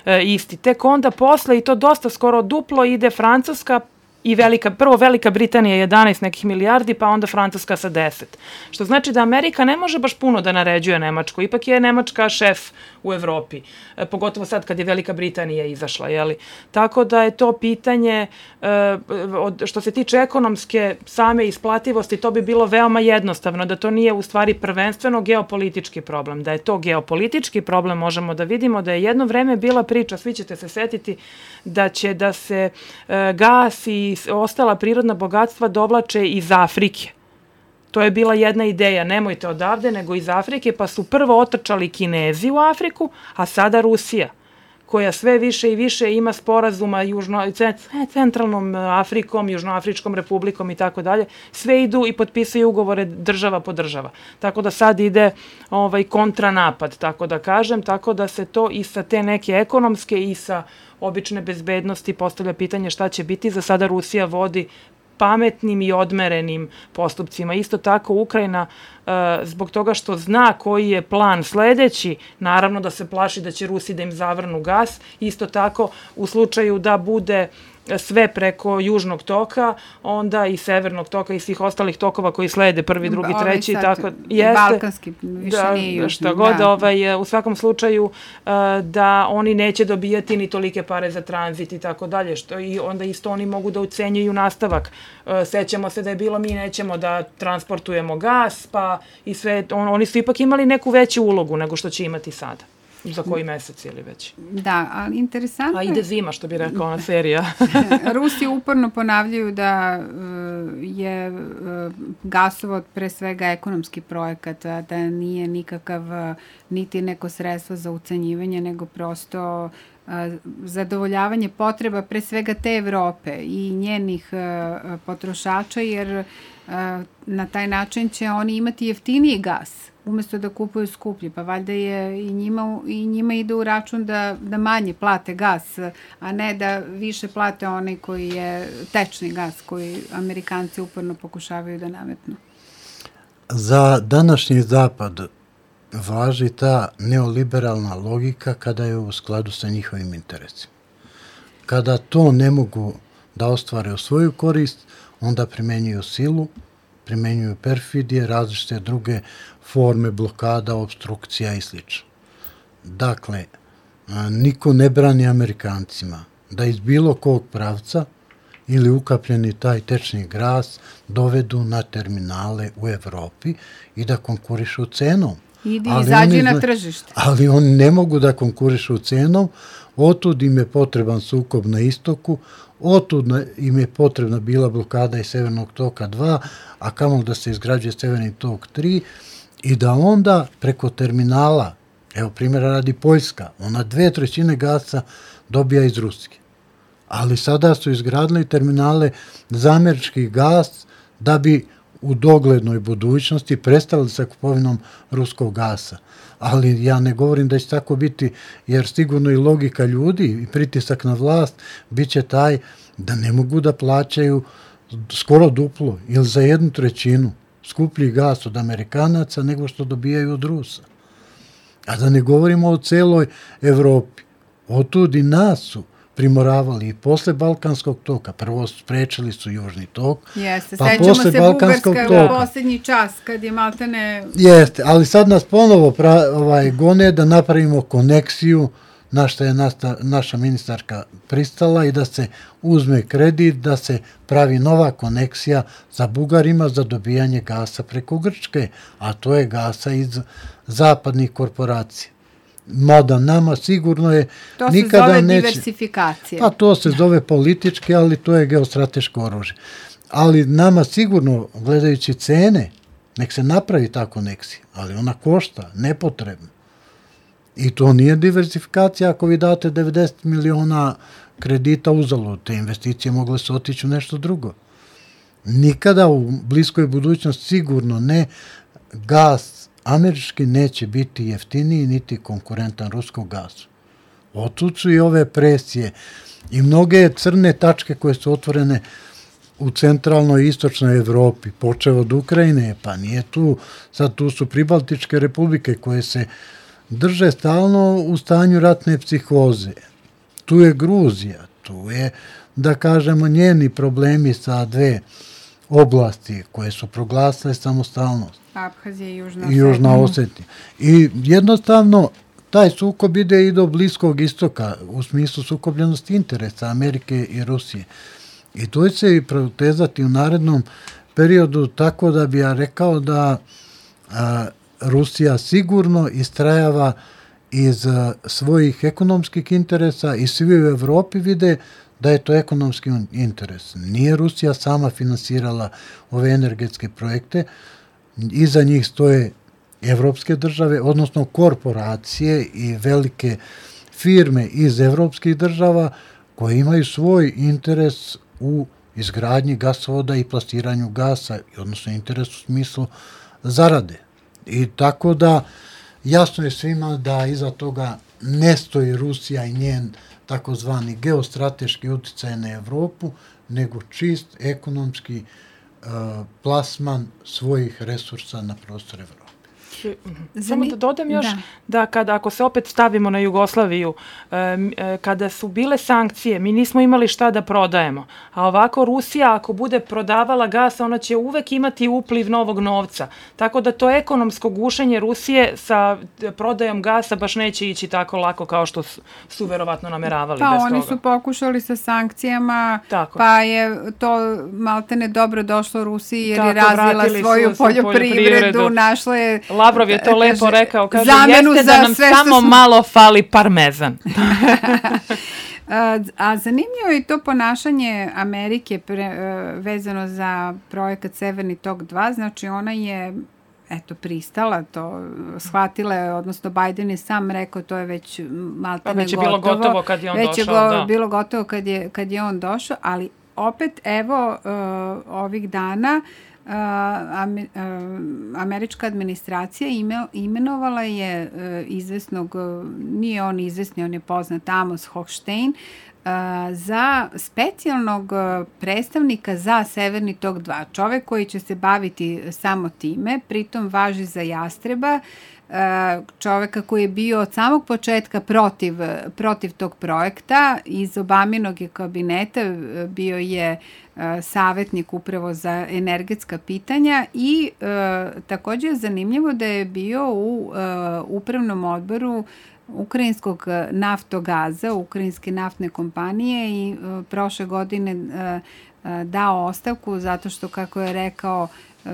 e, isti. Tek onda posle, i to dosta skoro duplo, ide Francuska i Velika, prvo Velika Britanija jedanaest nekih milijardi, pa onda Francuska sa deset. Što znači da Amerika ne može baš puno da naređuje Nemačku. Ipak je Nemačka šef u Evropi. E, pogotovo sad kad je Velika Britanija izašla. Jeli? Tako da je to pitanje, e, od, što se tiče ekonomske same isplativosti, to bi bilo veoma jednostavno, da to nije u stvari prvenstveno geopolitički problem. Da je to geopolitički problem, možemo da vidimo da je jedno vreme bila priča, svi ćete se setiti, da će da se e, gas i ostala prirodna bogatstva dovlače iz Afrike. To je bila jedna ideja, nemojte odavde, nego iz Afrike, pa su prvo otrčali Kinezi u Afriku, a sada Rusija, koja sve više i više ima sporazuma južno, centralnom Afrikom, Južnoafričkom republikom i tako dalje. Sve idu i potpisuju ugovore država po država. Tako da sad ide ovaj kontranapad, tako da kažem, tako da se to i sa te neke ekonomske i sa obične bezbednosti postavlja pitanje šta će biti. Za sada Rusija vodi pametnim i odmerenim postupcima. Isto tako Ukrajina zbog toga što zna koji je plan sledeći, naravno da se plaši da će Rusi da im zavrnu gas. Isto tako, u slučaju da bude sve preko južnog toka, onda i severnog toka i svih ostalih tokova koji slede, prvi, drugi, treći. Tako, jeste, balkanski, više da, nije južni. Šta god, da. ovaj, u svakom slučaju da oni neće dobijati ni tolike pare za tranzit i tako dalje, što i onda isto oni mogu da ucenjuju nastavak. Sećamo se da je bilo mi nećemo da transportujemo gas, pa i sve, on, oni su ipak imali neku veću ulogu nego što će imati sada. Za koji mesec ili već. Da, ali interesantno... A ide zima, što bi rekao ona serija. Rusi uporno ponavljaju da je gasovod pre svega ekonomski projekat, da nije nikakav niti neko sredstvo za ucenjivanje, nego prosto zadovoljavanje potreba pre svega te Evrope i njenih potrošača, jer na taj način će oni imati jeftiniji gas umesto da kupuju skuplji, pa valjda je i njima, i njima ide u račun da, da manje plate gas, a ne da više plate onaj koji je tečni gas, koji Amerikanci uporno pokušavaju da nametnu. Za današnji zapad važi ta neoliberalna logika kada je u skladu sa njihovim interesima. Kada to ne mogu da ostvare u svoju korist, onda primenjuju silu, primenjuju perfidije, različite druge forme blokada, obstrukcija i sl. Dakle, niko ne brani Amerikancima da iz bilo kog pravca ili ukapljeni taj tečni gas dovedu na terminale u Evropi i da konkurišu cenom. Idi, izađi na tržište. Ali oni ne mogu da konkurišu cenom, otud im je potreban sukob na istoku, otud im je potrebna bila blokada i Severnog toka dva, a kamo da se izgrađuje Severni tok tri, i da onda preko terminala, evo primjera radi Poljska, ona dve trećine gasa dobija iz Rusije. Ali sada su izgradili terminale za američki gas da bi u doglednoj budućnosti prestali sa kupovinom ruskog gasa. Ali ja ne govorim da će tako biti, jer sigurno i logika ljudi i pritisak na vlast bit će taj da ne mogu da plaćaju skoro duplo ili za jednu trećinu skuplji gas od Amerikanaca nego što dobijaju od Rusa. A da ne govorimo o celoj Evropi. Otud i nas su primoravali i posle Balkanskog toka. Prvo sprečili su Južni tok, Jeste, pa sećamo posle se Balkanskog Bugarska toka. u posljednji čas, kad je maltene... Jeste, ali sad nas ponovo pra, ovaj, gone da napravimo koneksiju na što je nasta, naša ministarka pristala i da se uzme kredit, da se pravi nova koneksija sa Bugarima za dobijanje gasa preko Grčke, a to je gasa iz zapadnih korporacija. Mada nama sigurno je to se nikada zove neće... diversifikacija. Pa to se zove politički, ali to je geostrateško oružje. Ali nama sigurno, gledajući cene, nek se napravi ta koneksija, ali ona košta, nepotrebno. I to nije diversifikacija ako vi date devedeset miliona kredita uzalud. Te investicije mogle se otići u nešto drugo. Nikada u bliskoj budućnosti sigurno ne, gas američki neće biti jeftiniji niti konkurentan ruskom gasu. Otud su i ove presije i mnoge crne tačke koje su otvorene u centralnoj i istočnoj Evropi, počeo od Ukrajine, pa nije tu, sad tu su pribaltičke republike koje se drže stalno u stanju ratne psihoze. Tu je Gruzija, tu je, da kažemo, njeni problemi sa dve oblasti koje su proglasile samostalnost. Abhazija i Južna Osetija. I Južna Osetija. I jednostavno, taj sukob ide i do Bliskog istoka, u smislu sukobljenosti interesa Amerike i Rusije. I to će se i protezati u narednom periodu, tako da bi ja rekao da a, Rusija sigurno istrajava iz a, svojih ekonomskih interesa i svi u Evropi vide da je to ekonomski interes. Nije Rusija sama finansirala ove energetske projekte, iza njih stoje evropske države, odnosno korporacije i velike firme iz evropskih država koje imaju svoj interes u izgradnji gasovoda i plasiranju gasa, odnosno interes u smislu zarade. I tako da jasno je svima da iza toga ne stoji Rusija i njen takozvani geostrateški uticaj na Evropu, nego čist ekonomski plasman svojih resursa na prostor Evrope. Samo da dodam još da, da kada ako se opet stavimo na Jugoslaviju, e, kada su bile sankcije, mi nismo imali šta da prodajemo. A ovako Rusija ako bude prodavala gas, ona će uvek imati upliv novog novca. Tako da to ekonomsko gušenje Rusije sa prodajom gasa baš neće ići tako lako kao što su, su verovatno nameravali. Pa bez oni toga. su pokušali sa sankcijama, tako. Pa je to maltene dobro došlo Rusiji jer tako, je razvila svoju su, poljoprivredu, poljoprivredu, našla je... Lavrov je to lepo rekao, kaže, jeste za da nam samo su... malo fali parmezan. A zanimljivo je to ponašanje Amerike pre, vezano za projekat Severni tok dva, znači ona je eto, pristala to, shvatila je, odnosno Biden je sam rekao, to je već maltene već je gotovo. bilo gotovo kad je on već došao. Već je da. bilo gotovo kad je, kad je on došao, ali opet, evo, uh, ovih dana Uh, američka administracija ime, imenovala je uh, izvesnog, uh, nije on izvesni, on je poznat, Amos Hochstein, uh, za specijalnog uh, predstavnika za Severni tok dva. Čovek koji će se baviti samo time, pritom važi za Jastreba, čoveka koji je bio od samog početka protiv, protiv tog projekta. Iz Obaminog je kabineta bio je savetnik upravo za energetska pitanja i e, takođe je zanimljivo da je bio u e, upravnom odboru Ukrajinskog naftogaza, Ukrajinske naftne kompanije i e, prošle godine e, e, dao ostavku zato što, kako je rekao,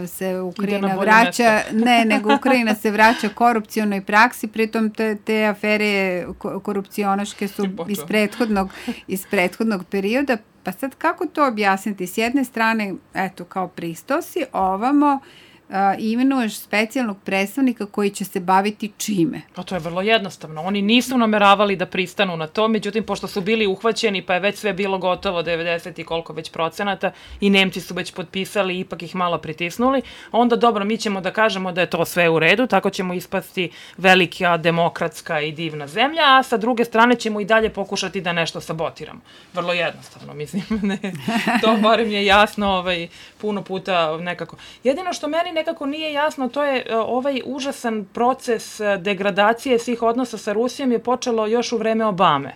se Ukrajina vraća, ne, nego Ukrajina se vraća korupcionoj praksi, pritom te, te afere korupcionaške su iz prethodnog, iz prethodnog perioda. Pa sad kako to objasniti? S jedne strane, eto, kao pristosi, ovamo uh, imenuješ specijalnog predstavnika koji će se baviti čime? Pa to je vrlo jednostavno. Oni nisu nameravali da pristanu na to, međutim, pošto su bili uhvaćeni, pa je već sve bilo gotovo, devedeset i koliko već procenata, i Nemci su već potpisali, ipak ih malo pritisnuli, onda dobro, mi ćemo da kažemo da je to sve u redu, tako ćemo ispasti velika, demokratska i divna zemlja, a sa druge strane ćemo i dalje pokušati da nešto sabotiramo. Vrlo jednostavno, mislim. Ne, to barem je jasno ovaj, puno puta nekako. Jedino što meni nekako nije jasno, to je ovaj užasan proces degradacije svih odnosa sa Rusijom je počelo još u vreme Obame.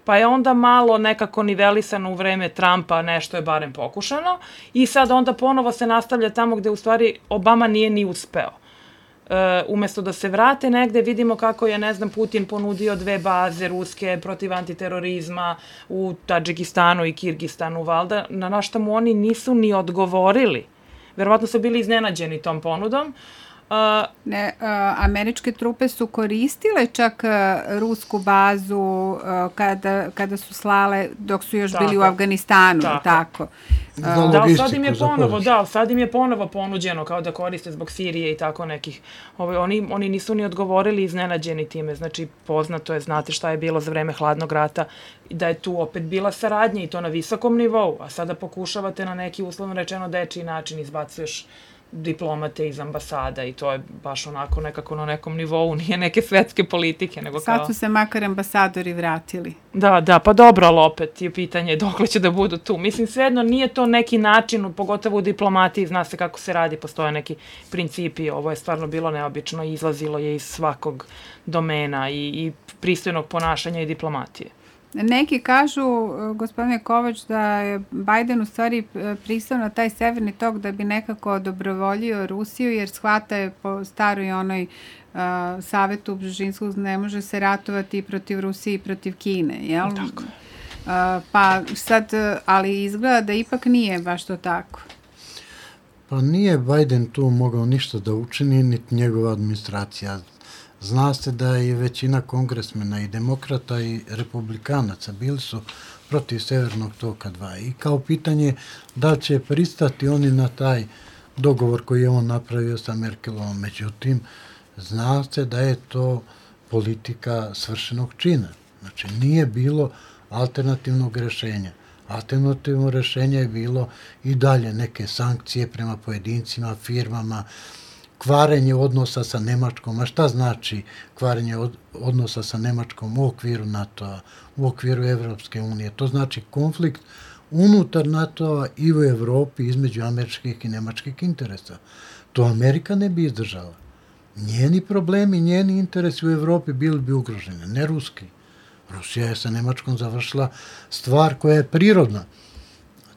Pa je onda malo nekako nivelisano u vreme Trumpa, nešto je barem pokušano i sad onda ponovo se nastavlja tamo gde u stvari Obama nije ni uspeo. Uh, umesto da se vrate negde, vidimo kako je, ne znam, Putin ponudio dve baze ruske protiv antiterorizma u Tadžikistanu i Kirgistanu, valjda, na našta mu oni nisu ni odgovorili. Verovatno su bili iznenađeni tom ponudom. Uh, ne, uh, američke trupe su koristile čak uh, rusku bazu uh, kada, kada su slale, dok su još tako, bili u Afganistanu, tako. tako. Uh, da, sad im je ponovo, da, sad im je ponovo ponuđeno kao da koriste zbog Sirije i tako nekih. Ovo, oni, oni nisu ni odgovorili iznenađeni time, znači poznato je, znate šta je bilo za vreme hladnog rata, da je tu opet bila saradnja i to na visokom nivou, a sada pokušavate na neki uslovno rečeno dečiji način izbacuješ diplomate iz ambasada i to je baš onako nekako na nekom nivou, nije neke svetske politike, nego kao... Sad su se makar ambasadori vratili. Da, da, pa dobro, ali opet je pitanje dokle će da budu tu. Mislim, svejedno nije to neki način, pogotovo u diplomatiji, zna se kako se radi, postoje neki principi, ovo je stvarno bilo neobično i izlazilo je iz svakog domena i, i pristojnog ponašanja i diplomatije. Neki kažu, gospodine Kovač, da je Biden u stvari pristao na taj Severni tok da bi nekako dobrovoljio Rusiju, jer shvata je po staroj onoj uh, savetu Bžežinskog ne može se ratovati protiv Rusije i protiv Kine, jel? Tako. Uh, pa sad, ali izgleda da ipak nije baš to tako. Pa nije Biden tu mogao ništa da učini, niti njegova administracija. Zna se da je većina kongresmena i demokrata i republikanaca bili su protiv Severnog toka dva. I kao pitanje da će pristati oni na taj dogovor koji je on napravio sa Merkelovom. Međutim, zna se da je to politika svršenog čina. Znači, nije bilo alternativnog rešenja. Alternativno rešenje je bilo i dalje neke sankcije prema pojedincima, firmama, kvarenje odnosa sa Nemačkom. A šta znači kvarenje od, odnosa sa Nemačkom u okviru NATO-a, u okviru Evropske unije? To znači konflikt unutar NATO-a i u Evropi između američkih i nemačkih interesa. To Amerika ne bi izdržala. Njeni problemi, njeni interesi u Evropi bili bi ugroženi, ne ruski. Rusija je sa Nemačkom završila stvar koja je prirodna.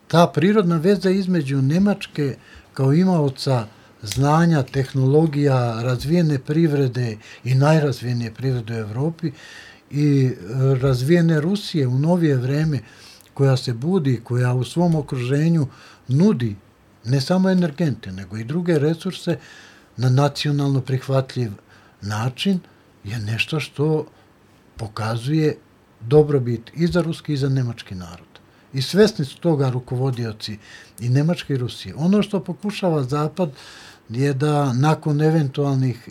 Ta prirodna veza između Nemačke kao imaoca znanja, tehnologija, razvijene privrede i najrazvijenije privrede u Evropi i razvijene Rusije u novije vreme koja se budi, koja u svom okruženju nudi ne samo energente, nego i druge resurse na nacionalno prihvatljiv način, je nešto što pokazuje dobrobit i za ruski i za nemački narod. I svesni su toga rukovodioci i Nemačke i Rusije. Ono što pokušava Zapad je da nakon eventualnih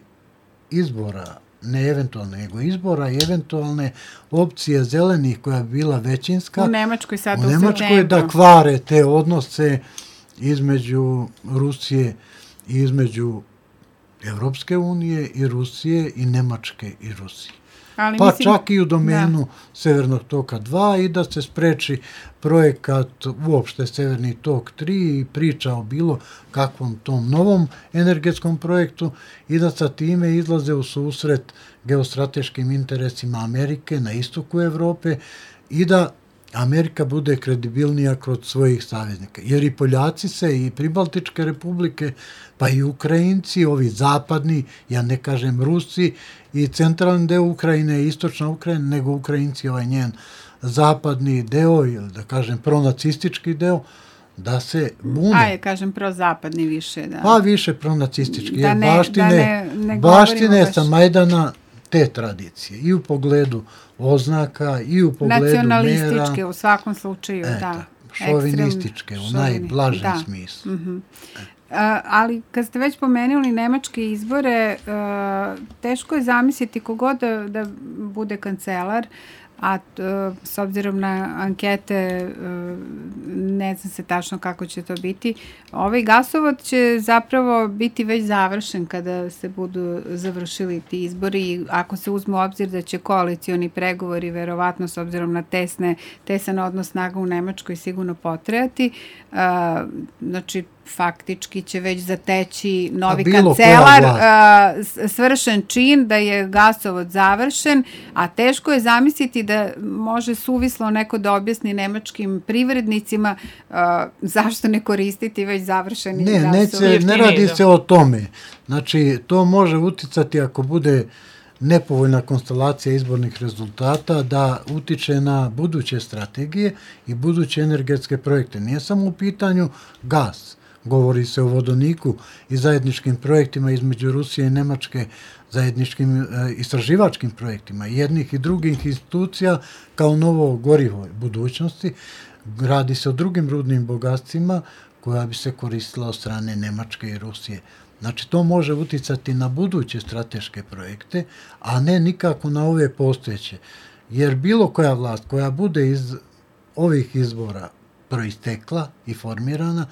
izbora, ne eventualne, nego izbora i eventualne opcije zelenih koja bi bila većinska, u Nemačkoj sad u, u Nemačkoj da kvare te odnose između Rusije i između Evropske unije i Rusije i Nemačke i Rusije. Ali pa mislim, čak i u domenu da. Severnog toka dva i da se spreči projekat uopšte Severni tok tri i priča o bilo kakvom tom novom energetskom projektu i da sa time izlaze u susret geostrateškim interesima Amerike na istoku Evrope i da Amerika bude kredibilnija kod svojih saveznika. Jer i Poljaci se, i Pribaltičke republike, pa i Ukrajinci, ovi zapadni, ja ne kažem Rusi, i centralni deo Ukrajine, i istočna Ukrajina, nego Ukrajinci, ovaj njen zapadni deo, ili da kažem pronacistički deo, da se bune. Ajde, kažem prozapadni više, da. Pa više pronacistički, da jer ne, baštine, da ne, ne baštine baš sa Majdana te tradicije, i u pogledu oznaka, i u pogledu mera. Nacionalističke u svakom slučaju, eto, da. Šovinističke, u najblažem da. smislu. Mm-hmm. Uh, ali kad ste već pomenuli nemačke izbore, uh, teško je zamisliti kogod da, da bude kancelar, a uh, s obzirom na ankete uh, ne znam se tačno kako će to biti. Ovaj gasovod će zapravo biti već završen kada se budu završili ti izbori, ako se uzme u obzir da će koalicioni pregovori verovatno s obzirom na tesne, tesan odnos snaga u Nemačkoj sigurno potrajati. Uh, znači faktički će već zateći novi kancelar, uh, svršen čin da je gasovod završen, a teško je zamisliti da može suvislo neko da objasni nemačkim privrednicima uh, zašto ne koristiti već završeni ne, gasovod. Ne, ne radi se o tome. Znači, to može uticati ako bude nepovoljna konstelacija izbornih rezultata da utiče na buduće strategije i buduće energetske projekte. Nije samo u pitanju gas. Govori se o vodoniku i zajedničkim projektima između Rusije i Nemačke, zajedničkim e, istraživačkim projektima jednih i drugih institucija kao novo gorivo budućnosti. Radi se o drugim rudnim bogatstvima koja bi se koristila od strane Nemačke i Rusije. Znači, to može uticati na buduće strateške projekte, a ne nikako na ove postojeće. Jer bilo koja vlast koja bude iz ovih izbora proistekla i formirana,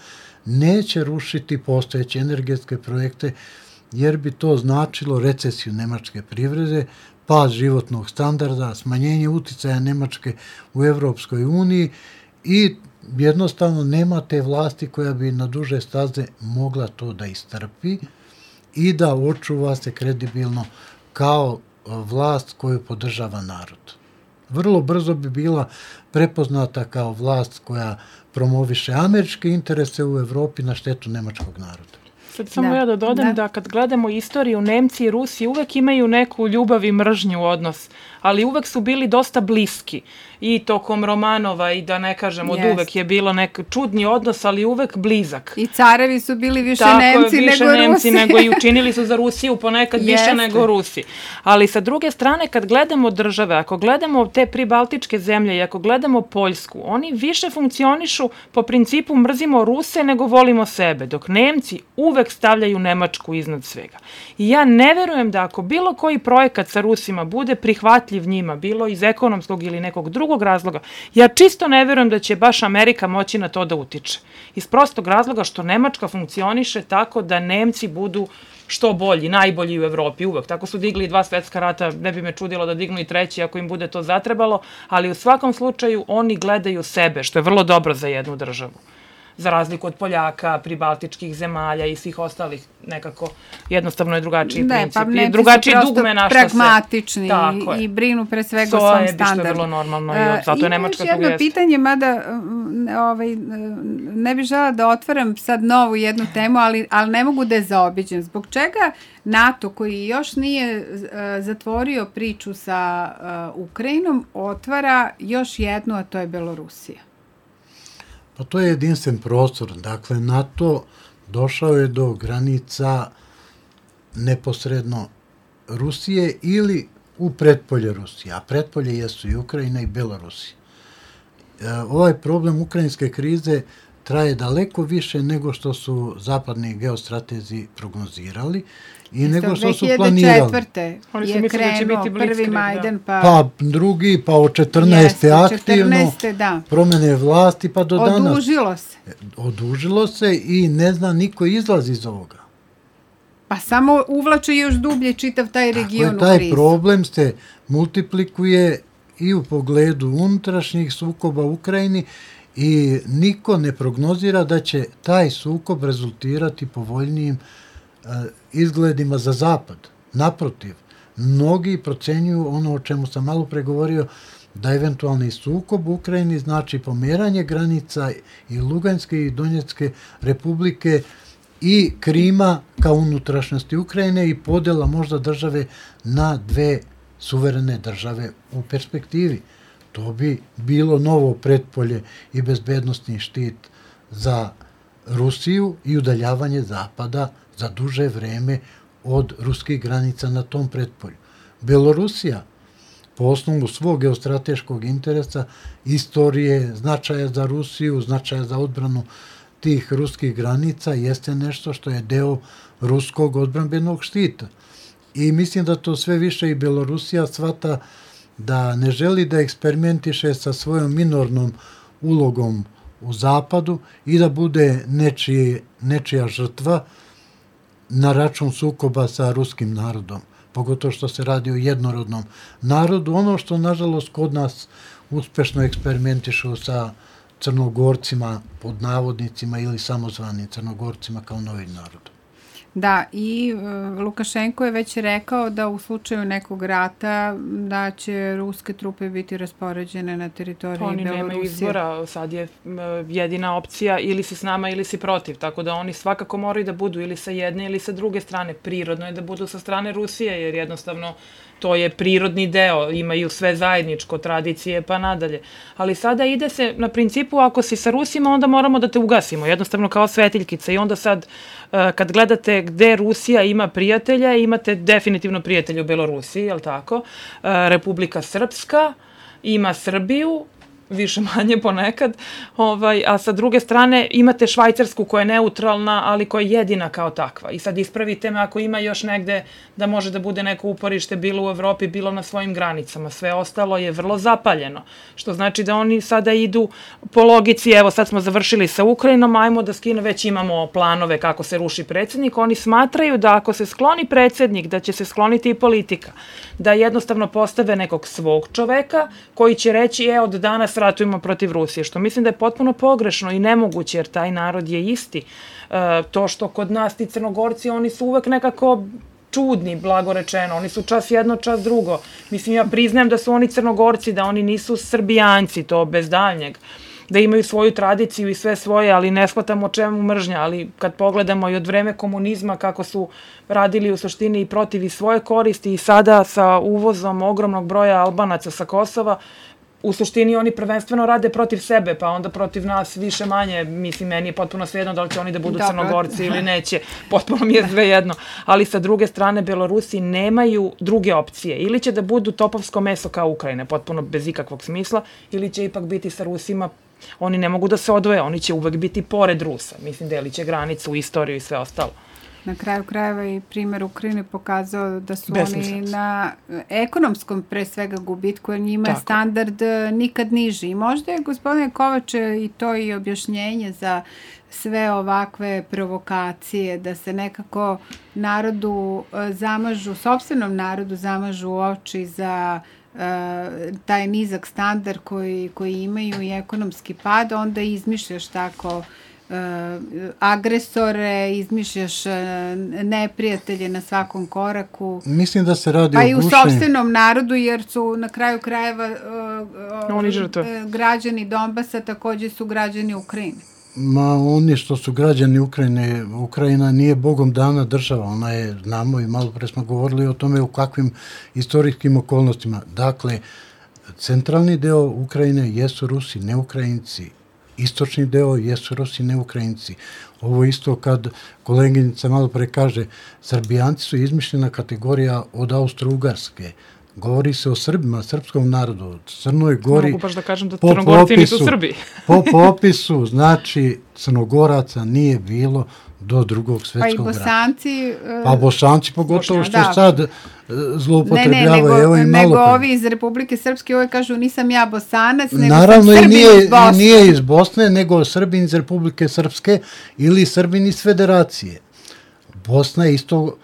neće rušiti postojeće energetske projekte, jer bi to značilo recesiju nemačke privrede, pad životnog standarda, smanjenje uticaja Nemačke u Evropskoj uniji i jednostavno nema te vlasti koja bi na duže staze mogla to da istrpi i da očuva se kredibilno kao vlast koju podržava narod. Vrlo brzo bi bila prepoznata kao vlast koja promoviše američke interese u Evropi na štetu nemačkog naroda. Sad samo da, ja da dodam da. da kad gledamo istoriju, Nemci i Rusi uvek imaju neku ljubav i mržnju odnos, ali uvek su bili dosta bliski. I tokom Romanova i da ne kažem od yes. uvek je bilo nek čudni odnos, ali uvek blizak. I carevi su bili više Tako, Nemci više nego Nemci Rusi. nego i učinili su za Rusiju ponekad Jeste. više nego Rusi. Ali sa druge strane, kad gledamo države, ako gledamo te pribaltičke zemlje i ako gledamo Poljsku, oni više funkcionišu po principu mrzimo Ruse nego volimo sebe, dok Nemci uvek stavljaju Nemačku iznad svega. I ja ne verujem da ako bilo koji projekat sa Rusima bude prihvatljiv prihvatljiv njima, bilo iz ekonomskog ili nekog drugog razloga, ja čisto ne verujem da će baš Amerika moći na to da utiče. Iz prostog razloga što Nemačka funkcioniše tako da Nemci budu što bolji, najbolji u Evropi uvek. Tako su digli dva svetska rata, ne bi me čudilo da dignu i treći ako im bude to zatrebalo, ali u svakom slučaju oni gledaju sebe, što je vrlo dobro za jednu državu. Za razliku od Poljaka, pribaltičkih zemalja i svih ostalih, nekako jednostavno je drugačiji ne, princip. Pa Nemci drugačiji su dugme našla prosto pragmatični i, i brinu pre svega o svom standardu. Što je bilo normalno i zato je Nemačka tu jeste. Ima još jedno pitanje, mada ovaj, ne bih žela da otvaram sad novu jednu temu, ali, ali ne mogu da je zaobiđem. Zbog čega NATO, koji još nije uh, zatvorio priču sa uh, Ukrajinom, otvara još jednu, a to je Belorusija? Pa to je jedinstven prostor. Dakle, NATO došao je do granica neposredno Rusije ili u pretpolje Rusije, a pretpolje jesu i Ukrajina i Belorusija. E, ovaj problem ukrajinske krize traje daleko više nego što su zapadni geostratezi prognozirali i Isto, nego što su planirali. dve hiljade četvrte je krenuo prvi Majdan, pa... Pa drugi, pa od četrnaeste aktivno, četrnaeste, da. Promene vlasti, pa do danas... Odužilo se. Odužilo se i ne zna niko izlazi iz ovoga. Pa samo uvlače još dublje čitav taj region dakle, u krizu. Taj problem se multiplikuje i u pogledu unutrašnjih sukoba u Ukrajini i niko ne prognozira da će taj sukob rezultirati povoljnijim uh, izgledima za zapad. Naprotiv, mnogi procenjuju ono o čemu sam malo pregovorio, da eventualni sukob u Ukrajini znači pomeranje granica i Luganske i Donjecke republike i Krima kao unutrašnjosti Ukrajine i podela možda države na dve suverene države u perspektivi. To bi bilo novo pretpolje i bezbednostni štit za Rusiju i udaljavanje Zapada za duže vreme od ruskih granica na tom pretpolju. Belorusija, po osnovu svog geostrateškog interesa, istorije, značaja za Rusiju, značaja za odbranu tih ruskih granica, jeste nešto što je deo ruskog odbrambenog štita. I mislim da to sve više i Belorusija shvata da ne želi da eksperimentiše sa svojom minornom ulogom u Zapadu i da bude nečije, nečija žrtva na račun sukoba sa ruskim narodom. Pogotovo što se radi o jednorodnom narodu. Ono što, nažalost, kod nas uspešno eksperimentišu sa Crnogorcima, pod navodnicima, ili samozvanim Crnogorcima kao novim narodom. Da, i uh, Lukašenko je već rekao da u slučaju nekog rata da će ruske trupe biti raspoređene na teritoriji oni Belorusije. Oni nemaju izbora, sad je uh, jedina opcija ili si s nama ili si protiv, tako da oni svakako moraju da budu ili sa jedne ili sa druge strane. Prirodno je da budu sa strane Rusije, jer jednostavno to je prirodni deo, imaju sve zajedničko, tradicije pa nadalje. Ali sada ide se na principu, ako si sa Rusima, onda moramo da te ugasimo, jednostavno kao svetiljkica. I onda sad, kad gledate gde Rusija ima prijatelja, imate definitivno prijatelja u Belorusiji, je li tako? Republika Srpska ima Srbiju, više manje ponekad, ovaj, a sa druge strane imate Švajcarsku koja je neutralna, ali koja je jedina kao takva. I sad ispravite me ako ima još negde da može da bude neko uporište bilo u Evropi, bilo na svojim granicama. Sve ostalo je vrlo zapaljeno, što znači da oni sada idu po logici, evo sad smo završili sa Ukrajinom, ajmo da skine, već imamo planove kako se ruši predsjednik, oni smatraju da ako se skloni predsjednik, da će se skloniti i politika, da jednostavno postave nekog svog čoveka koji će reći, e, od danas ratujemo protiv Rusije, što mislim da je potpuno pogrešno i nemoguće, jer taj narod je isti. E, to što kod nas ti Crnogorci, oni su uvek nekako čudni, blago rečeno. Oni su čas jedno, čas drugo. Mislim, ja priznajem da su oni Crnogorci, da oni nisu Srbijanci, to bez daljnjeg. Da imaju svoju tradiciju i sve svoje, ali ne shvatamo o čemu mržnja. Ali kad pogledamo i od vreme komunizma kako su radili u suštini i protiv i svoje koristi i sada sa uvozom ogromnog broja Albanaca sa Kosova, u suštini oni prvenstveno rade protiv sebe, pa onda protiv nas više manje. Mislim, meni je potpuno svejedno da li će oni da budu Dobro. Crnogorci ili neće. Potpuno mi je svejedno. Ali sa druge strane, Belorusi nemaju druge opcije. Ili će da budu topovsko meso kao Ukrajine, potpuno bez ikakvog smisla, ili će ipak biti sa Rusima. Oni ne mogu da se odvoje, oni će uvek biti pored Rusa. Mislim, delit će granicu, istoriju i sve ostalo. Na kraju krajeva i primjer Ukrajine pokazao da su oni na ekonomskom pre svega gubitku, jer njima Tako. je standard nikad niži. I možda je, gospodine Kovače, i to i objašnjenje za sve ovakve provokacije, da se nekako narodu zamažu, sopstvenom narodu zamažu oči za uh, taj nizak standard koji, koji imaju i ekonomski pad, onda izmišljaš tako Uh, agresore, izmišljaš uh, neprijatelje na svakom koraku. Mislim da se radi pa o i u sopstvenom narodu, jer su na kraju krajeva uh, oni uh, građani Donbasa takođe su građani Ukrajine. Ma oni što su građani Ukrajine, Ukrajina nije Bogom dana država, ona je, znamo i malo pre smo govorili o tome u kakvim istorijskim okolnostima. Dakle, centralni deo Ukrajine jesu Rusi, ne Ukrajinci. Istočni deo jesu Rusi, ne Ukrajinci. Ovo isto kad koleginica malo pre kaže, Srbijanci su izmišljena kategorija od Austro-Ugarske. Govori se o Srbima, srpskom narodu, Crnoj Gori. Mogu baš da kažem da Crnogorci nisu Srbi. Po popisu, znači, Crnogoraca nije bilo do drugog svetskog rata. Pa i Bosanci... Uh, pa Bosanci pogotovo što da. sad zloupotrebljavaju. Ne, ne, nego, Evo nego ovi iz Republike Srpske uvek kažu nisam ja Bosanac, nego Naravno, sam Srbin nije, iz Bosne. nije iz Bosne, nego Srbin iz Republike Srpske ili Srbin iz Federacije. Bosna je isto,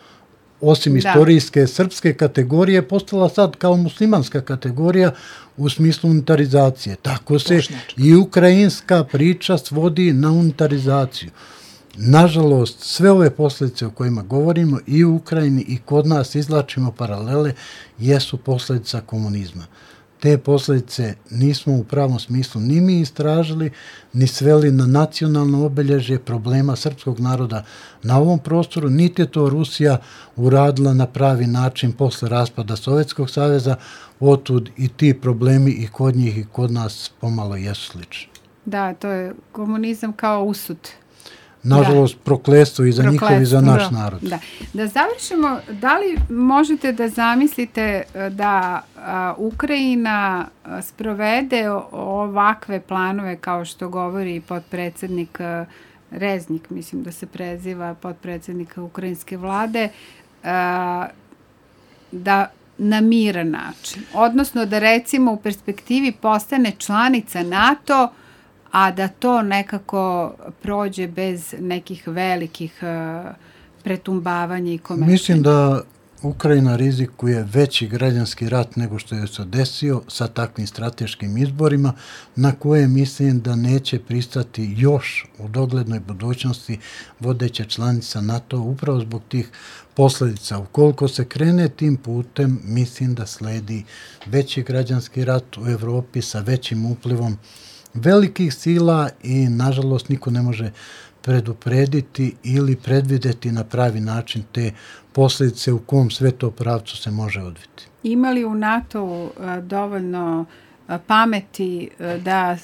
osim da. istorijske srpske kategorije, postala sad kao muslimanska kategorija u smislu unitarizacije. Tako se Bošnjačka. I ukrajinska priča svodi na unitarizaciju. Nažalost, sve ove posljedice o kojima govorimo i u Ukrajini i kod nas izlačimo paralele, jesu posljedica komunizma. Te posljedice nismo u pravom smislu ni mi istražili, ni sveli na nacionalno obelježje problema srpskog naroda na ovom prostoru, niti je to Rusija uradila na pravi način posle raspada Sovjetskog saveza, otud i ti problemi i kod njih i kod nas pomalo jesu slični. Da, to je komunizam kao usud. Nažalost, prokletstvo i za njihov i za naš narod. Da. Da završimo, da li možete da zamislite da a, Ukrajina sprovede ovakve planove kao što govori potpredsednik Reznik, mislim da se preziva potpredsednik ukrajinske vlade, a, da na miran način. Odnosno da recimo u perspektivi postane članica NATO, a da to nekako prođe bez nekih velikih uh, pretumbavanja i komešanja. Mislim da Ukrajina rizikuje veći građanski rat nego što je se desio sa takvim strateškim izborima, na koje mislim da neće pristati još u doglednoj budućnosti vodeća članica NATO upravo zbog tih posljedica. Ukoliko se krene tim putem, mislim da sledi veći građanski rat u Evropi sa većim uplivom velikih sila i, nažalost, niko ne može preduprediti ili predvideti na pravi način te posljedice u kom sve to pravcu se može odviti. Ima li u NATO dovoljno pameti da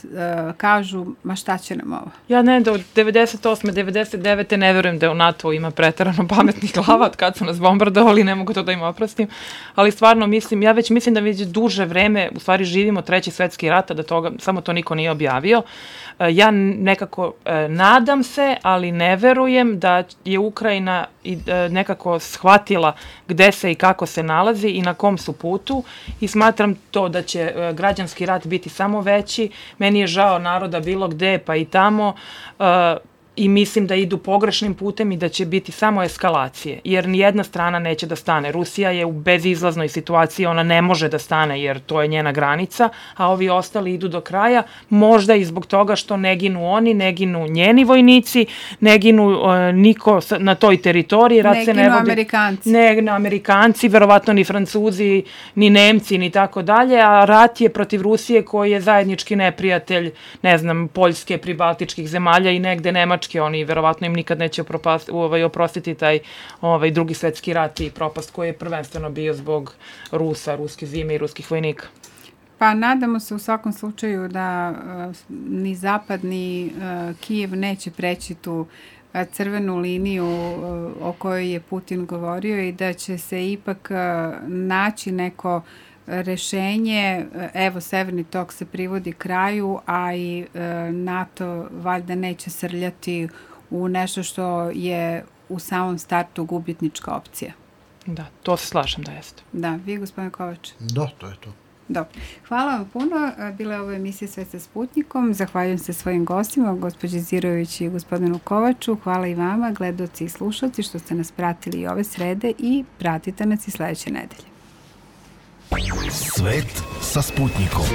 kažu, ma šta će nam ovo? Ja ne, da od devedeset osme devedeset devete ne verujem da u NATO ima preterano pametnih glava od kad su nas bombardovali, ne mogu to da im oprostim, ali stvarno mislim, ja već mislim da već duže vreme u stvari živimo treći svetski rat, da toga, samo to niko nije objavio. Ja nekako nadam se, ali ne verujem da je Ukrajina nekako shvatila gde se i kako se nalazi i na kom su putu i smatram to da će građanski rat biti samo veći. Meni je žao naroda bilo gde pa i tamo i mislim da idu pogrešnim putem i da će biti samo eskalacije, jer nijedna strana neće da stane. Rusija je u bezizlaznoj situaciji, ona ne može da stane jer to je njena granica, a ovi ostali idu do kraja, možda i zbog toga što ne ginu oni, ne ginu njeni vojnici, ne ginu uh, niko na toj teritoriji. Rat ne se ginu ne vodi, Amerikanci. Ne Amerikanci, verovatno ni Francuzi, ni Nemci, ni tako dalje, a rat je protiv Rusije koji je zajednički neprijatelj, ne znam, Poljske, pribaltičkih zemalja i negde Nemačke. Oni verovatno im nikad neće opropast, ovaj, oprostiti taj ovaj, drugi svetski rat i propast koji je prvenstveno bio zbog Rusa, ruske zime i ruskih vojnika. Pa nadamo se u svakom slučaju da uh, ni Zapad ni uh, Kijev neće preći tu uh, crvenu liniju uh, o kojoj je Putin govorio i da će se ipak uh, naći neko rešenje. Evo, Severni tok se privodi kraju, a i e, NATO valjda neće srljati u nešto što je u samom startu gubitnička opcija. Da, to se slažem da jeste. Da, vi gospodine Kovač? Da, to je to. Dobro. Hvala vam puno. Bila je ovo emisija Svet sa Sputnikom. Zahvaljujem se svojim gostima, gospođi Zirović i gospodinu Kovaču. Hvala i vama, gledaoci i slušalci, što ste nas pratili i ove srede i pratite nas i sledeće nedelje. Svet sa Sputnikom.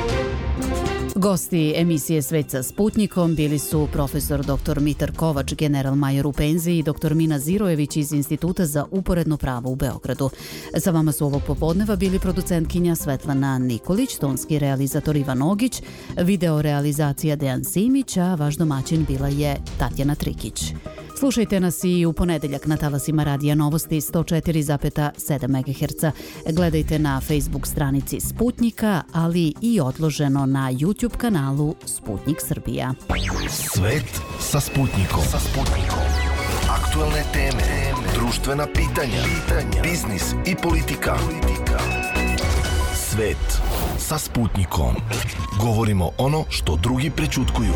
Gosti emisije Svet sa Sputnikom bili su profesor doktor Mitar Kovač, general major u penziji, i doktor Mina Zirojević iz Instituta za uporedno pravo u Beogradu. Sa vama su ovog popodneva bili producentkinja Svetlana Nikolić, tonski realizator Ivan Ogić, video realizacija Dejan Simić, a vaš domaćin bila je Tatjana Trikić. Slušajte nas i u ponedeljak na talasima Radija Novosti sto četiri zarez sedam megaherca. Gledajte na Facebook stranici Sputnika, ali i odloženo na YouTube kanalu Sputnik Srbija. Svet sa Sputnikom. Sa Sputnikom. Aktuelne teme, društvena pitanja, biznis i politika. Svet sa Sputnikom. Govorimo ono što drugi prećutkuju.